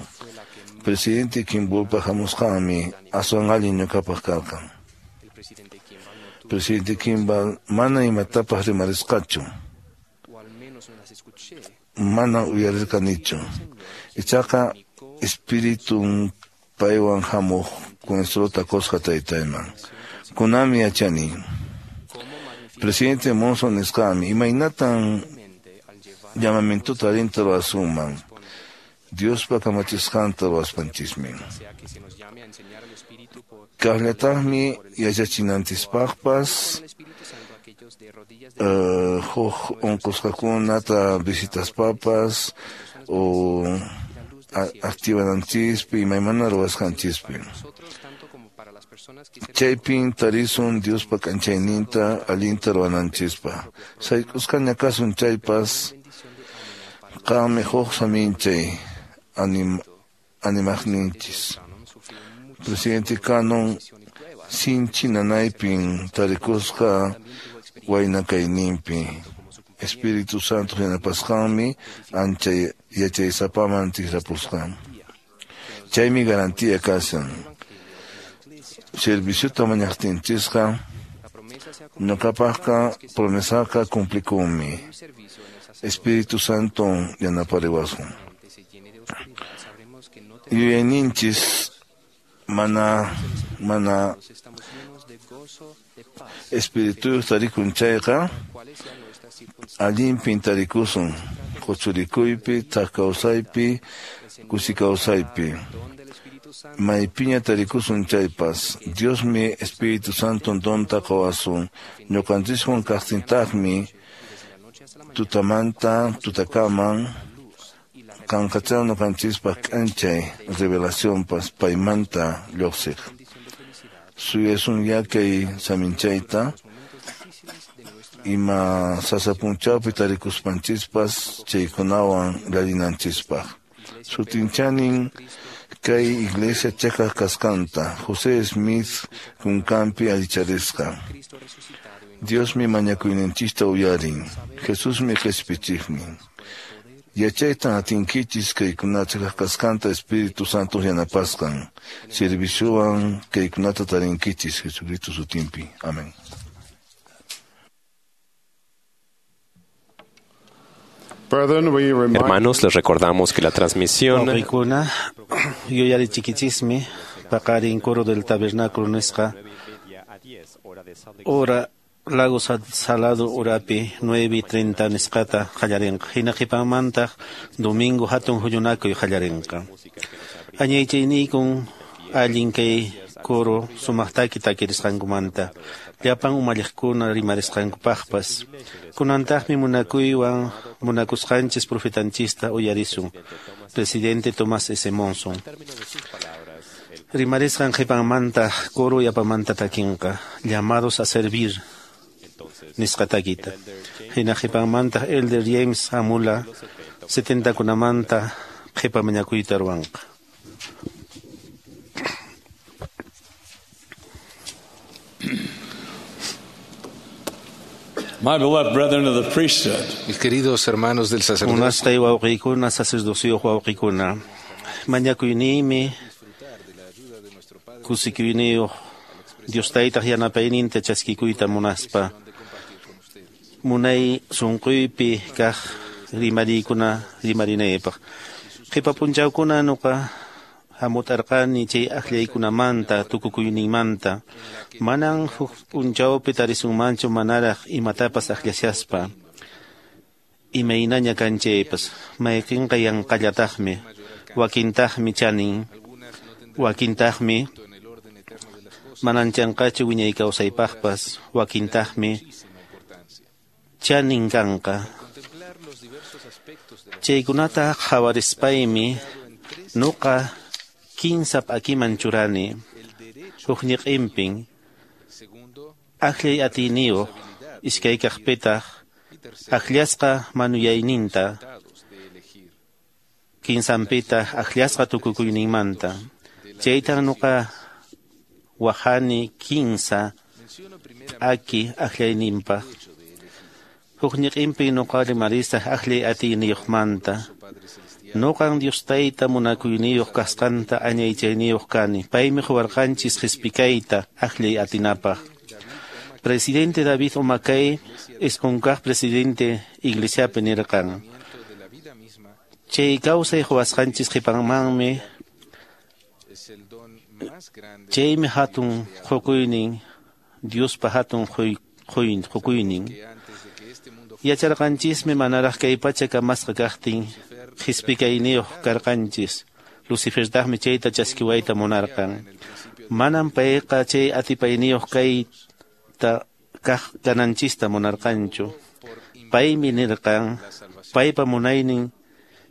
Speaker 3: presidente Kimbalpa hamusqanmi aswan allin ñuqapaq karqan. Presidente Kimball mana imatapas rimarisqachu, mana uyarirqanichu. Ichaqa espiritun paywan hamuq consuelota qusqa taytayman. Kunanmi yachani. Presidente Monson nisqanmi imaynatan llamamientuta allinta ruwasunman Diospa kamachisqanta ruwaspanchismi. Kaqllataqmi yachachinanchispaqpas uh, huk unqusqakunata visitaspapas o activananchispi imaymana ruwasqanchispi. Chaypin tarisun Diospa k'anchayninta allinta ruwananchispaq. Sayk'usqaña kasun chaypas qanmi huk saminchay anim, animaqninchis. Presidente Cannon sinchi nanaypin tarikusqa wayna kayninpi. Espíritu Santo yanapasqanmi ancha yachaysapaman tikrapusqa. Chaymi garantía kashan. Serviciota mañaqtinchisqa ñuqapaqqa promesaqa cumplikunmi. Espíritu Santo yanapariwasun. Yuyayninchis mana mana espirituyuq tarikun chayqa allinpin tarikusun quchurikuypi, thak kawsaypi, kusi kawsaypi. Maypiña tarikusun chaypas Diosmi Espíritu Santo donta qawasun. Ñuqanchiswan kaqtintaqmi tutamanta tutakaman qanqachaw ñuqanchispaq k'anchay revelacionpas paymanta lluqsiq. Suyasun yakay saminchayta ima sasa punchawpi tarikuspanchispas chaykunawan llallinanchispaq. Sutinchanin kay iglesia cheqaq kasqanta José Smith kunkanpi allicharisqa. Diosmi mañakuyninchista uyarin. Jesusmi qhispichiqnin. Yachaytan atinkichis kaykuna cheqaq kasqanta Espíritu Santo yanapasqan. Serviciowan kaykunata tarinkichis Jesucristo sutinpi. Amén.
Speaker 5: Hermanos, les recordamos que la transmisión
Speaker 6: Wawqiykuna yuyarichikichismi paqarin coro del tabernáculo nisqa hora Lago Salado urapi nueve treinta nisqata qallarinqa. Hina qhipanmantaq domingo hatun huñunakuy qallarinqa. Añaychayniykun allin kay coro sumaqtaki takirisqankumanta llapan umalliqkuna rimarisqankupaqpas. Kunantaqmi munakuywan munakusqanchis profetanchista uyarisun presidente Tomás S. Monson. Rimarisqan qhipanmanta coro yapamanta takinqa llamados a servir nisqa takita. Hina qhipanmanta Elder James Amula setentakunamanta qhipa mañakuyta ruwanqa.
Speaker 14: My beloved brethren of the priesthood.
Speaker 15: Mis queridos hermanos del sacerdocio.
Speaker 6: Munasqay wawqiykuna sacerdocioq wawqiykuna. Mañakuyniymi kusikuyniyuq Dios taytaq yanapayninta chaskikuyta munaspa. Munay sunquypi kaq rimariykuna rimarinaypaq. Qhipa punchawkuna nuqa hamutarqani chay akllaykunamanta tukukuyninmanta. Manan huk punchawpi tarisunmanchu manaraq imatapas akllashaspa. Imaynaña kanchaypas mayqinqa yanqallataqmi, wakintaqmi chanin, wakintaqmi mananchanqachu wiñay kawsaypaqpas, wakintaqmi chanin kanqa. Chaykunata qhawarispaymi nuqa kinsa p'akiman churani. Huk ñiqinpin akllay atiyniyuq, iskay kaqpitaq akllasqa manuyayninta, kinsanpitaq akllasqa tukukuyninmanta. Chaytan nuqa wahani kinsa aki akllayninpaq. Huk ñiqinpin nuqa rimarisaq akllay atiyniyuqmanta. Nuqan Dios tayta munakuyniyuq kasqanta añaychayniyuq kani. Paymi quwarqanchis qispikayta akllay atinapaq. Presidente David O. McKay isqunkaq presidente iglesiapi nirqan. Chay kawsay quwasqanchis qhipanmanmi chaymi hatun qukuynin Diospa hatun qukuynin. Yacharqanchismi manaraq kay pacha kamasqa kaqtin qispikayniyuq karqanchis. Lucifertaqmi chayta chaskiwayta munarqan. Manam payqa chay atipayniyuq kayta kaq kananchista munarqanchu. Paymi nirqan paypa munaynin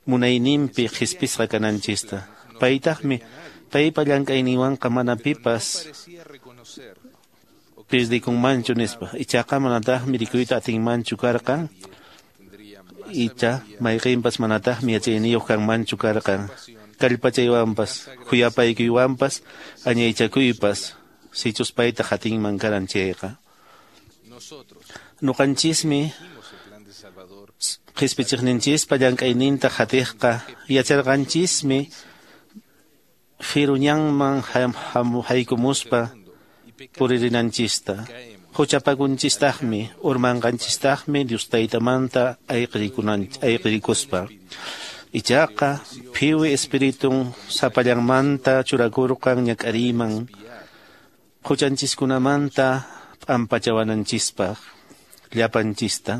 Speaker 6: munayninpi qhispisqa kananchista. Paytaqmi paypa llank'ayninwanqa mana pipas pirdikunmanchu nispa. Ichaqa manataqmi rikuyta atinmanchu karqan. Icha mayqinpas manataqmi yachayniyuq kanmanchu karqan. Kallpachaywanpas, khuyapaykuywanpas, añaychakuypas, sichus payta qatinman karan chayqa. Nuqanchismi qispichiqninchispa llank'ayninta qatiqqa yacharqanchismi firuñanman haykumuspa puririnanchista. Huchapakunchistaqmi, urmanqanchistaqmi Dios taytamanta ayqirikuspa. Ichaqa phiwi espiritun sapallanmanta churakurqan ñak'ariyman huchanchiskunamanta p'ampachawananchispaq llapanchista.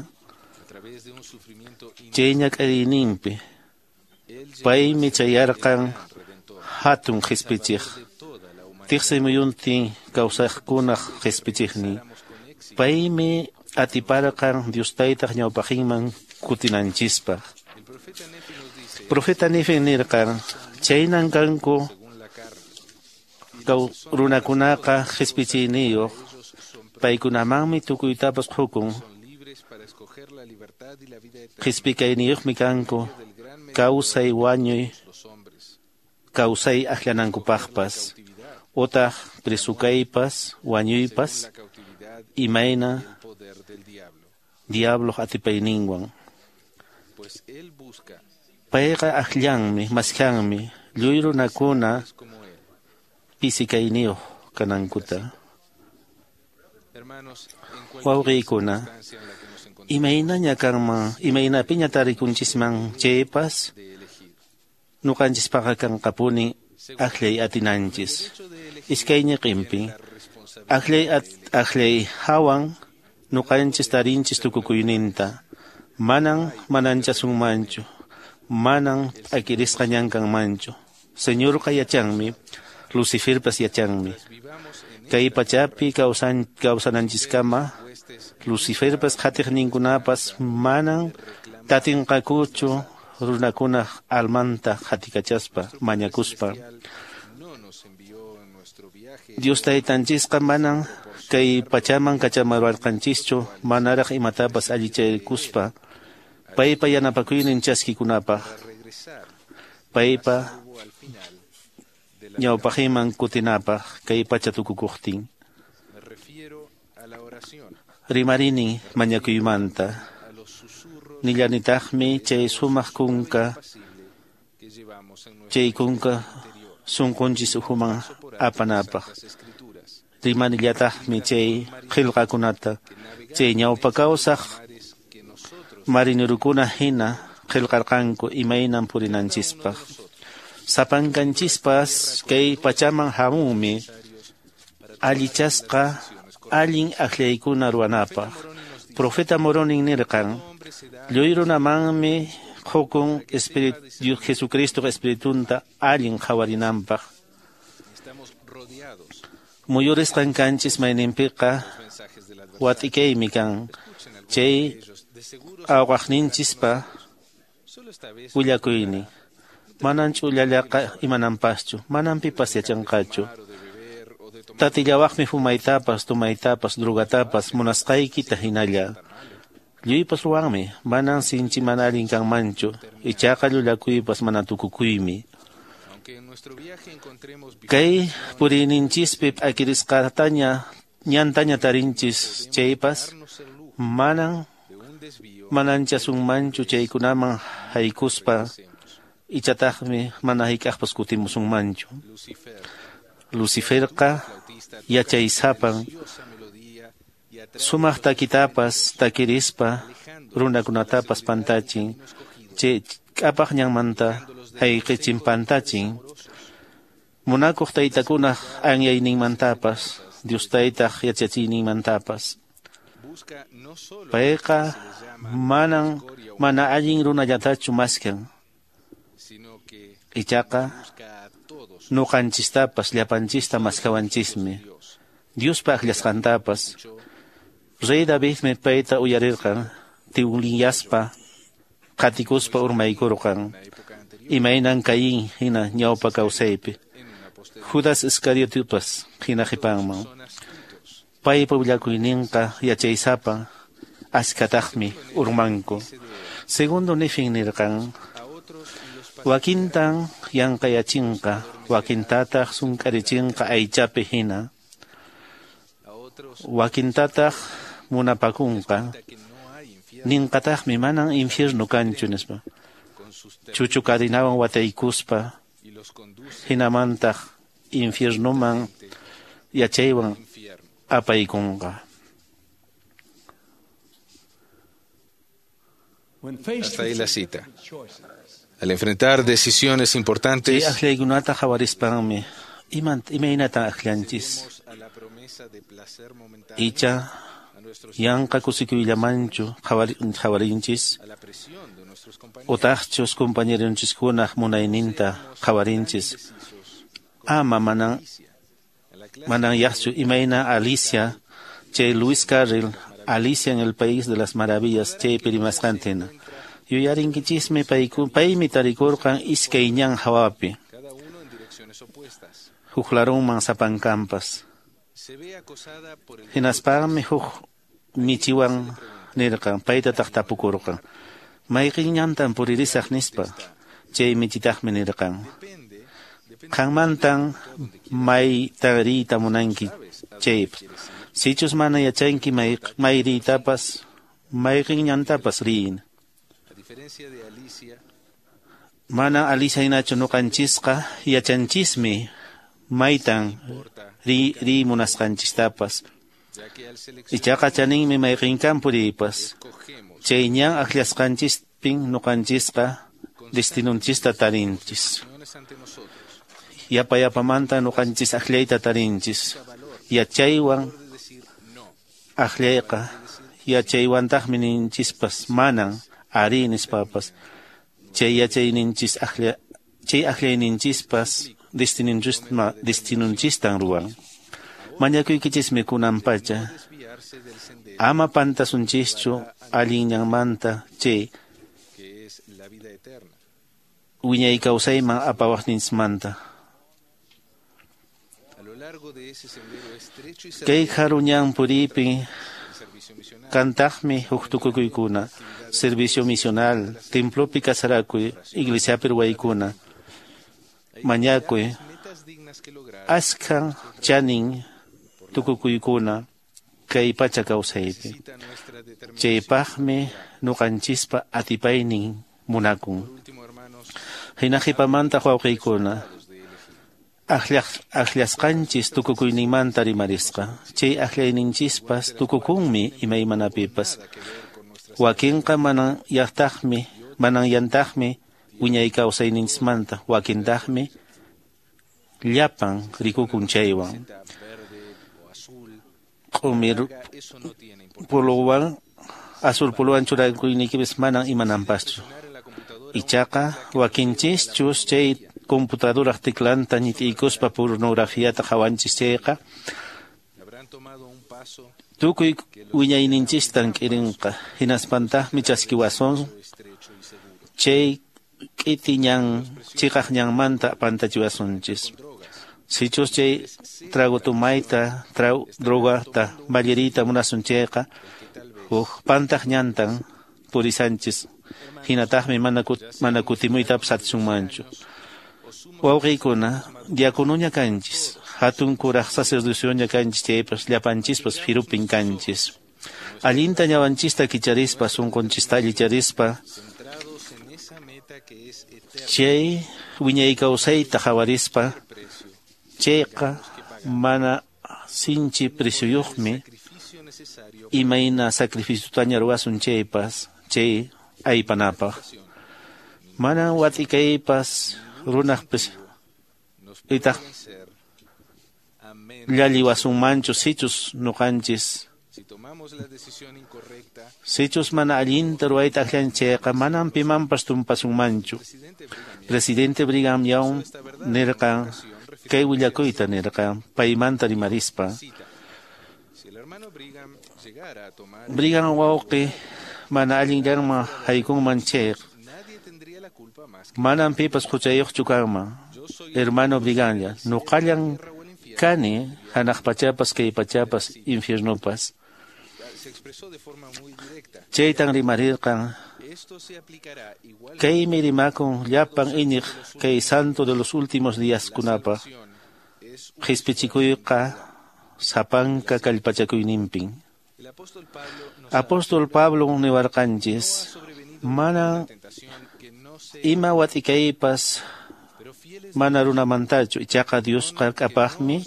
Speaker 6: Chay ñak'ariyninpi paymi chayarqan hatun qispichiq tiqsi muyuntin kawsaqkunaq qispichiqnin. Paymi atiparqan Dios taytaq ñawpaqinman kutinanchispaq. Profeta Nefi nirqan chaynan kanku runakunaqa qispichiyniyuq, paykunamanmi tukuytapas qukun. Qispikayniyuqmi kanku kawsay wañuy kawsay akllanankupaqpas, utaq presukaypas wañuypas imayna diabloq atipayninwan. Payqa akllanmi, maskanmi lluy runakuna pisikayniyuq kanankuta. Wawqiykuna, imaynaña kanman, imaynapiña tarikunchisman chaypas, nuqanchispaqa kanqapuni akllay atinanchis. Iskay ñiqinpi akllay at, akllay hawan nuqanchis tarinchis tukukuyninta. Manan mananchasunmanchu, manan p'akirisqa ñan kanmanchu. Señorqa yachanmi, Luciferpas yachanmi. Kay pachapi kawsan kawsananchiskama Luciferpas qhatiqninkunapas manan tatinqakuchu runakunaq almanta qatikachaspa mañakuspa. Dios taytanchisqa manan kay pachaman kachamarwarqanchischu manaraq imatapas allichaykuspa paypa yanapakuynin chaskikunapaq, paypa ñawpaqinman kutinapaq kay pacha tukukuqtin. Rimarini mañakuymanta. Nillanitaqmi chay sumaq kunka, chay kunka sunqunchis ukhuman apanapaq. Rimanillataqmi chay qillqakunata, chay ñawpa kawsaq marinurukuna hina qillqarqanku imaynan purinanchispaq. Sapankanchispas kay pachaman hamunmi allichasqa allin akllaykuna ruwanapaq. Profeta Moroni nirqan lluy runamanmi qukun Espíritu Jesucristo espiritunta allin qhawarinanpaq. Muyurisqan kanchis mayninpiqa watikaymi kan chay awqaqninchispa willakuynin. Manan ch'ullallaqa imananpaschu, manan pipas yachanqachu. Tatillawaqmi fumaytapas, tumaytapas, drogatapas, munasqaykita hinalla. Lluypas ruwanmi, manan sinchi mana allin kanmanchu, ichaqa llullakuypas mana tukukuymi. Kay puriyninchispi p'akirisqataña ñantaña tarinchis chaypas, manan mananchasunmanchu chaykunaman haykuspa, ichataqmi mana hayk'aqpas kutimusunmanchu. Luciferqa yachaysapan sumaq takitapas takirispa runakunatapas pantachin, chay k'apaq ñanmanta hayqichin pantachin. Munakuq taytakunaq anyayninmantapas, Dios taytaq yachachiyninmantapas. Payqa manan mana allin runallatachu maskan, ichaqa nuqanchistapas llapanchista maskawanchismi, Diospa akllasqantapas. Rey Davidmi payta uyarirqan, tiwliyaspa qatikuspa urmaykurqan, imaynan Caín hina ñawpa kawsaypi, Judas Iscariotepas hina qhipanman. Paypa willakuyninqa yachaysapa askataqmi urmanku. Segundo Nefin nirqan, wakintan yanqayachinqa, wakintataq sunk'arichinqa aychapi hina, wakintataq munapakunqa, ninqataqmi manan infierno kanchu nispa, chuchu cadinawan wataykuspa, hinamantaq infiernoman yachaywan apaykunqa.
Speaker 15: Hasta ahí la cita. Al enfrentar decisiones importantes,
Speaker 6: chay akllaykunata qhawarispanmi, imaynatan akllanchis? Icha yanqa kusikuyllamanchu qhawarinchis, utaqchus compañeronchiskunaq munayninta qhawarinchis. Ama manan manan yaqchu imayna Alicia, chay Lewis Carroll, Alicia en el País de las Maravillas, chaypi rimasqantina. Yuyarinkichismi paymi tarikurqan iskay ñan hawapi, huk larunman sapankampas. Hinaspanmi huk michiwan nirqan, paytataq tapukurqan, mayqin ñantan puririsaq nispa. Chay michitaqmi nirqan, qanmantan mayta riyta munanki chaypas, sichus mana yachanki may riytapas, mayqin ñantapas riyin. Mana Alicia hinachu nuqanchisqa yachanchismi maytan ri riy munasqanchistapas. Ichaqa chaninmi mayqinkan puriypas. Chay ñan akllasqanchispin nuqanchisqa destinunchista tarinchis. Yapa yapamanta nuqanchis akllayta tarinchis. Yachaywan akllayqa, yachaywantaqmi ninchispas manan ari nispapas. Chay yachayninchis aklla, chay aklayninchispas destinunchisma destinunchistan ruwan. Mañakuykichismi kunan pacha, ama pantasunchischu allin ñanmanta chay wiñay kawsayman apawaqninchismanta. Kay haru ñan puriypi kantaqmi huk tukukuykuna, servicio misional, templopi kasarakuy, iglesiapi ruwaykuna, mañakuy, askhan chanin tukukuykuna kay pacha kawsaypi. Chaypaqmi nuqanchispa atipaynin munakun. Hina qhipamanta wawqiykuna, akllasqanchis tukukuyninmanta rimarisqa. Chay aklayninchispas tukukunmi imaymanapipas. Wakinqa manan yaqtaqmi, manan yantaqmi wiñay kawsayninchismanta, wakintaqmi llapan rikukun chaywan. Q'umir puluwan, azul puluwan churakuyniykipis manan imananpaschu. Ichaqa wakinchischus chay computadoraq teclanta ñit'iykuspa pornografiata qhawanchis chayqa, tukuy wiñayninchistan k'irinqa, hinaspantaqmi chaskiwasun chay k'iti ñan chiqaq ñanmanta pantachiwasunchis. Sichus chay trago tumayta, trago drogata, malliriyta munasun chayqa, huk pantaq ñantan purisanchis. Hinataqmi mana mana kutimuytapas atisunmanchu. Wawqiykuna, diakonoña kanchis, hatun kuraq sacerdocioña kanchis chaypas, llapanchispas firupin kanchis. Allinta ñawanchista kicharispa, sunqunchista allicharispa, chay wiñay kawsayta qhawarispa, chayqa mana sinchi presyuyuqmi, imayna sacrificiotaña ruwasun chaypas, chay aypanapaq. Mana watikaypas runaqpis itaq llalliwasunmanchu sichus nuqanchis. Sichus mana allinta ruwayta akllan chayqa manam pimanpas tumpasunmanchu. Presidente Brigham Young nirqan kay willakuyta nirqan paymanta rimarispa. Brigham wawqi mana allinllaman haykunman chayqa manam pipas huchayuqchu kanman. Hermano Brighamlla, nuqallan kani hanaq pachapas kay pachapas infiernopas. Chaytan rimarirqan. Kaymi rimakun llapan iñiq kay santo de los últimos días kunapaq. Qispichikuyqa sapanka kallpachakuyninpin. Apóstol Pablo niwarqanchis, mana ima watikaypas mana runamantachu, ichaqa Diosqa k'apaqmi,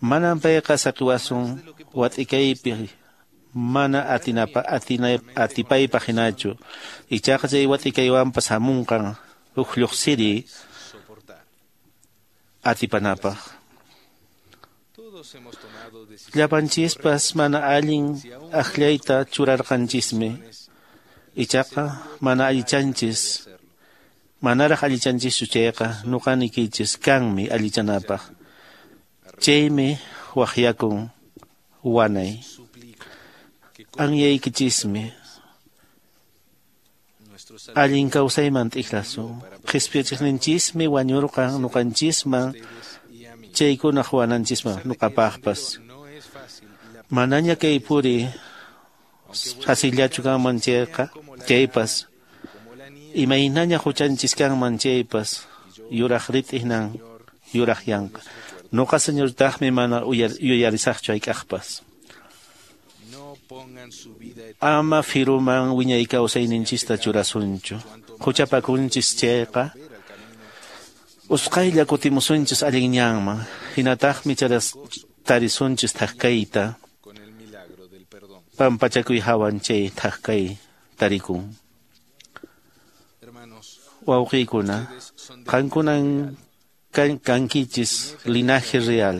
Speaker 6: manam payqa saqiwasun watikaypi mana atinapa atina atipaypaq hinachu, ichaqa chay watikaywanpas hamunqan huk lluqsiri atipanapaq. Llapanchispas mana allin akllayta churarqanchismi, ichaqa mana allichanchis, manaraq allichanchischu chayqa nuqanikichis kanmi allichanapaq. Chaymi waqyakun wanay. Anyaykichismi allin kawsayman t'ikrasun. Qispichiqninchismi wañurqan nuqanchisman, chaykunaq wananchisman nuqapaqpas. Manaña kay puri fasillachu kanman chayqa, chaypas, imaynaña huchanchis kanman chaypas, yuraq rit'inan yuraq yanqa. Nuqa Señortaqmi mana yuyarisaqchu hayk'aqpas. Ama firuman wiñay kawsayninchista churasunchu. Huchapakunchis chayqa, usqhaylla kutimusunchis allin ñanman, hinataqmi tarisunchis thak kayta. Pampachakuy hawan chay thak kay tarikun. Wawqiykuna, qankunan kankichis linaje real.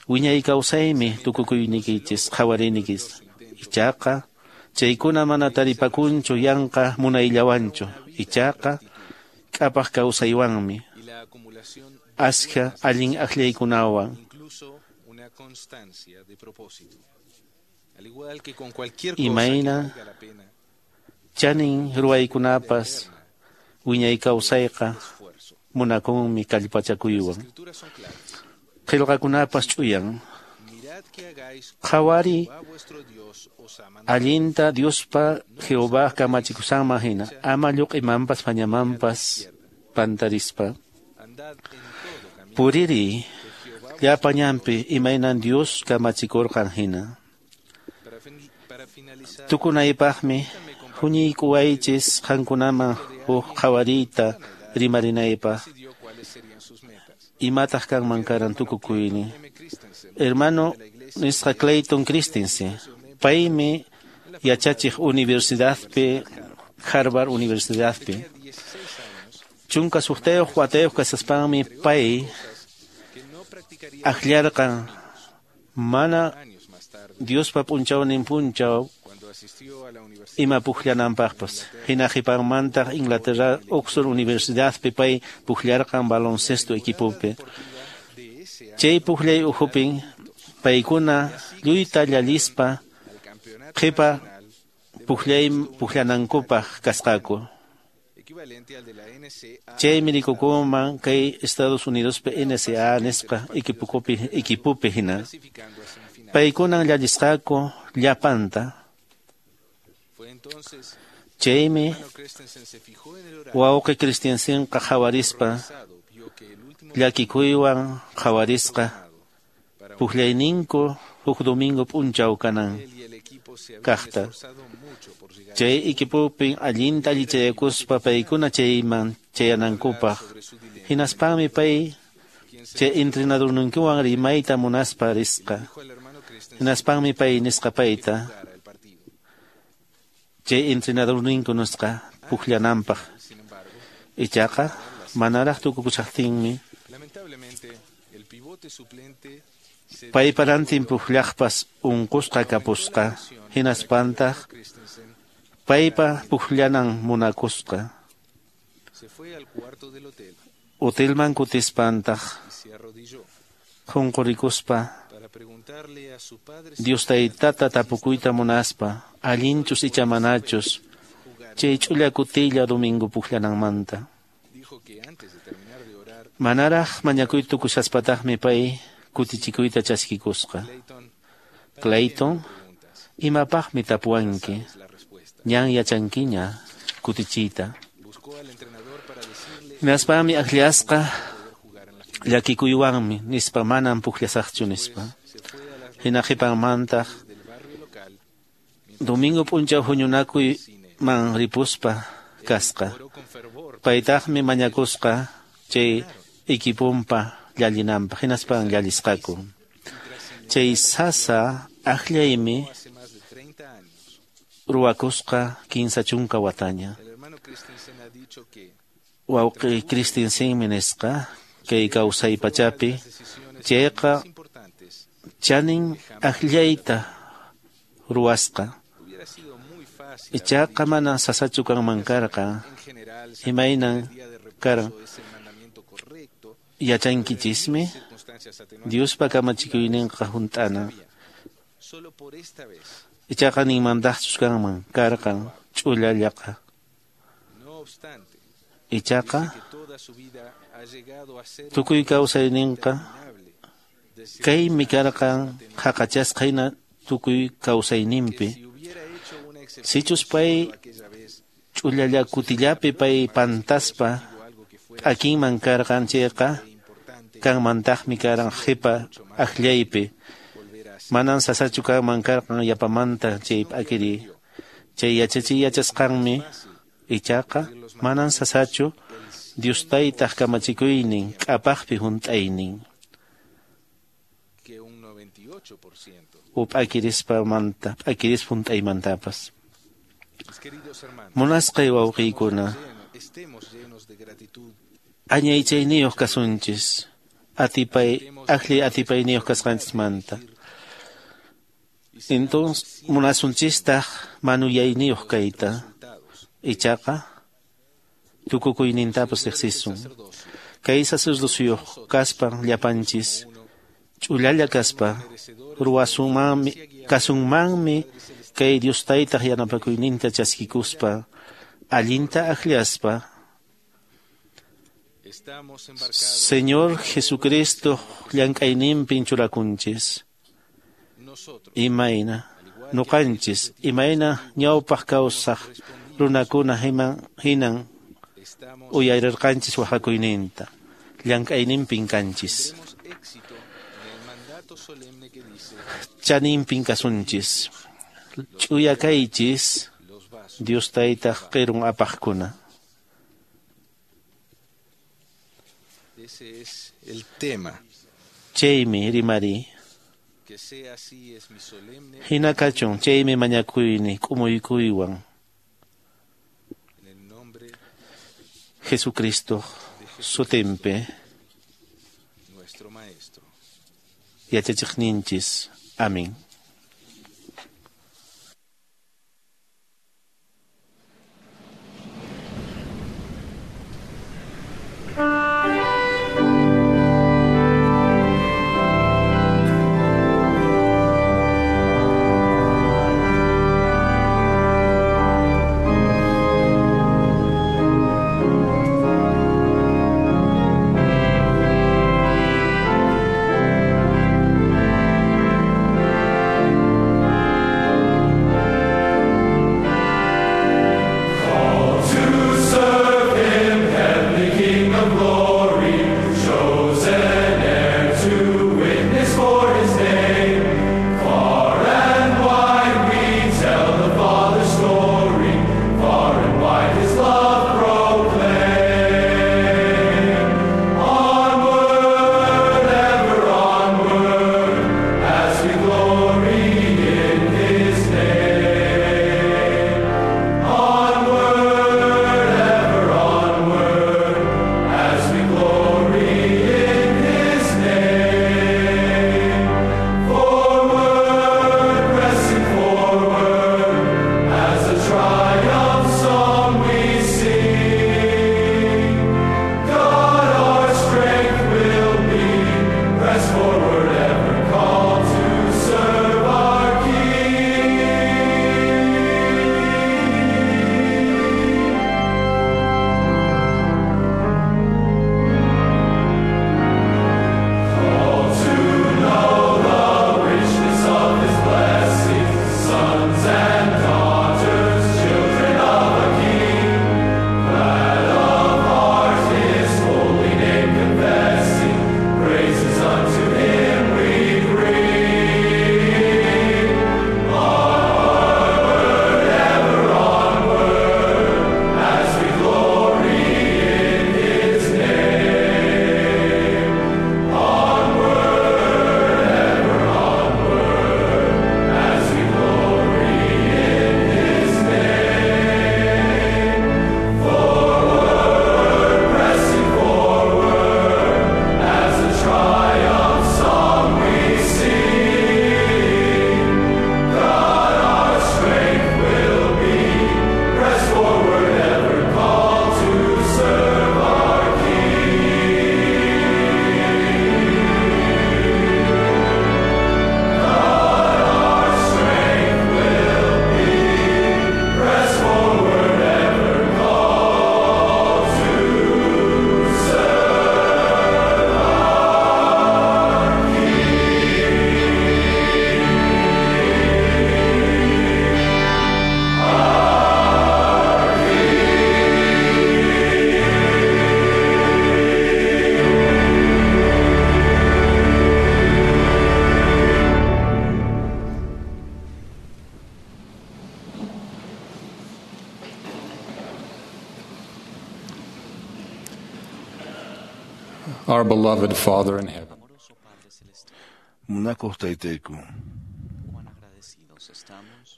Speaker 6: Wiñay kawsaymi tukukuynikichis qhawariynikichis. Ichaqa chaykuna mana taripakunchu yanqa munayllawanchu, ichaqa k'apaq kawsaywanmi, ashka allin akllaykunawan. Imayna chanin ruwaykunapas wiñay kawsayqa munakunmi kallpachakuywan. Qillqakunapas ch'uyan. Qhawari allinta Diospa Jehová kamachikusqanman hina, ama lluq'imanpas pañamanpas pantarispa. Puriri llapa ñanpi imaynan Dios kamachikurqan hina. Tukunaypaqmi huñiykuwaychis qankunaman huk qhawariyta rimarinaypaq. Imataq kanman karan tukukuyni. Hermano nisqa Clayton Christensen, paymi yachachiq universidadpi, Harvard Universidadpi. Chunka suqtayuq watayuq kasaspanmi pay akllarqan mana Diospa p'unchawnin p'unchaw ima pukllananpaqpas. Hina qhipanmantaq Inglaterra Oxford Universidadpi pay pukllarqan baloncesto equipopi. Chay pukllay ukhupin paykuna lluyta llalispa qhipa pukllay pukllanankupaq kasqaku. Chaymi rikukunman kay Estados Unidospi N C A A nisqa equipokupi equipopi hina. Paykunan llallisqaku llapanta. Chaymi wawqi Christiansenqa qhawarispa llakikuywan qhawarisqa pukllayninku huk domingo p'unchaw kanan kaqta. Chay equipopi allinta allichayakuspa paykuna chayman chayanankupaq. Hinaspanmi pay chay entrenadorninkuwan rimayta munaspa risqa. Hinaspanmi pay nisqa payta chay entrenadorninku nisqa pukllananpaq. Ichaqa manaraq tukukushaqtinmi paypa rantin pukllaqpas unqusqa kapusqa. Hinaspantaq paypa pukllanan munakusqa. Hotelman kutispantaq qunqurikuspa Dios taytata tapukuyta munaspa allinchus icha manachus chay ch'ulla kutilla domingo pukllananmanta. Manaraq mañakuy tukushaspataqmi pay kutichikuyta chaskikusqa. Clayton, imapaqmi tapuwanki? Ñan yachankiña kutichiyta. Hinaspanmi akllasqa llakikuywanmi nispa manam pukllasaqchu nispa. Hina qhipanmantaq domingo p'unchaw huñunakuyman ripuspa kasqa. Paytaqmi mañakusqa chay equiponpa llallinanpaq. Hinaspan llallisqaku. Chay sasa akllaymi ruwakusqa kinsa chunka wataña. Wawqi Christensenmi nisqa kay kawsay pachapi chayqa chanin akllayta ruwasqa. Ichaqa mana sasachu kanman karqa. Imaynan karan yachankichismi Diospa kamachikuyninqa hunt'ana. Ichaqa ninmantaqchus kanman karqan ch'ullallaqa. Ichaqa tukuy kawsayninqa kaymi karqan haqachasqa hina tukuy kawsayninpi. Sichus pay ch'ullalla kutillapi pay pantaspa p'akinman karqan chayqa kanmantaqmi karan qhipa akllaypi. Manan sasachu kanman karqan yapamanta chay p'akiri. Chay yachachiy yachasqanmi ichaqa manan sasachu Dios taytaq kamachikuynin k'apaqpi hunt'aynin. U p'akirispamanta p'akirispa hunt'aymantapas. Munasqay wawqiykuna, añaychayniyuq kasunchis atipay akllay atipayniyuq kasqanchismanta. Entonces munasunchistaq manuyayniyuq kayta. Ichaqa tukukuynintapas riqsisun. Kay sacerdociyuq kaspa llapanchis ch'ullalla kaspa ruwasunmanmi kasunmanmi kay Dios taytaq yanapakuyninta chaskikuspa allinta akllaspa Señor Jesucristo llank'ayninpin churakunchis. Imayna nuqanchis imayna ñawpaq kawsaq runakuna hinan uyarirqanchis waqakuyninta llank'ayninpin kanchis. Chaninpin kasunchis. Ch'uya kaychis Dios taytaq qirun apaqkuna. Chaymi rimari. Hina kachun chaymi mañakuyni k'umuykuywan. Jesucristo sutinpi yachachiqninchis. Amén.
Speaker 7: Thank you.
Speaker 14: Our beloved Father in heaven,
Speaker 3: Munakuq taytayku,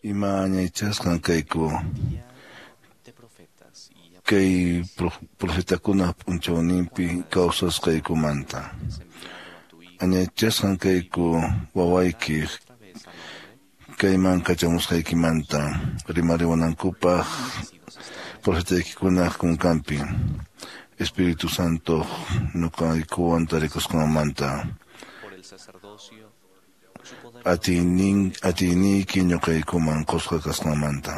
Speaker 3: ima añaychasqan kayku kay profetakuna p'unchawninpi kawsasqaykumanta. Añaychasqan kayku wawaykiq kayman kachamusqaykimanta rimariwanankupaq profetaykikunaq kunkanpi Espíritu Santo ñuqaykuwan tarikusqanmanta. Atiynin atiyniyki ñuqaykuman qusqa kasqanmanta.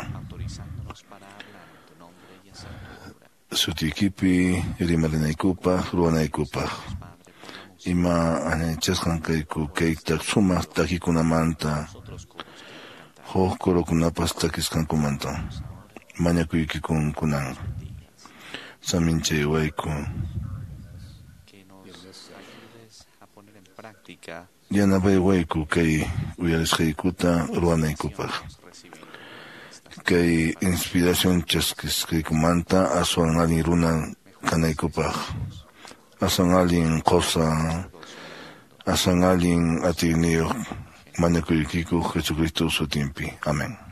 Speaker 3: Sutiykipi rimarinaykupaq ruwanaykupaq. Ima añaychasqan kayku kay sumaq takikunamanta huk corokunapas takisqankumanta. Mañakuykikun kunan. Saminchaywayku. Yanapaywayku kay uyarisqaykuta ruwanaykupaq. Kay inspiración chaskisqaykumanta aswan allin runa kanaykupaq. Aswan allin qosa, aswan allin atiyniyuq mañakuykiku Jesucristo sutinpi. Amén.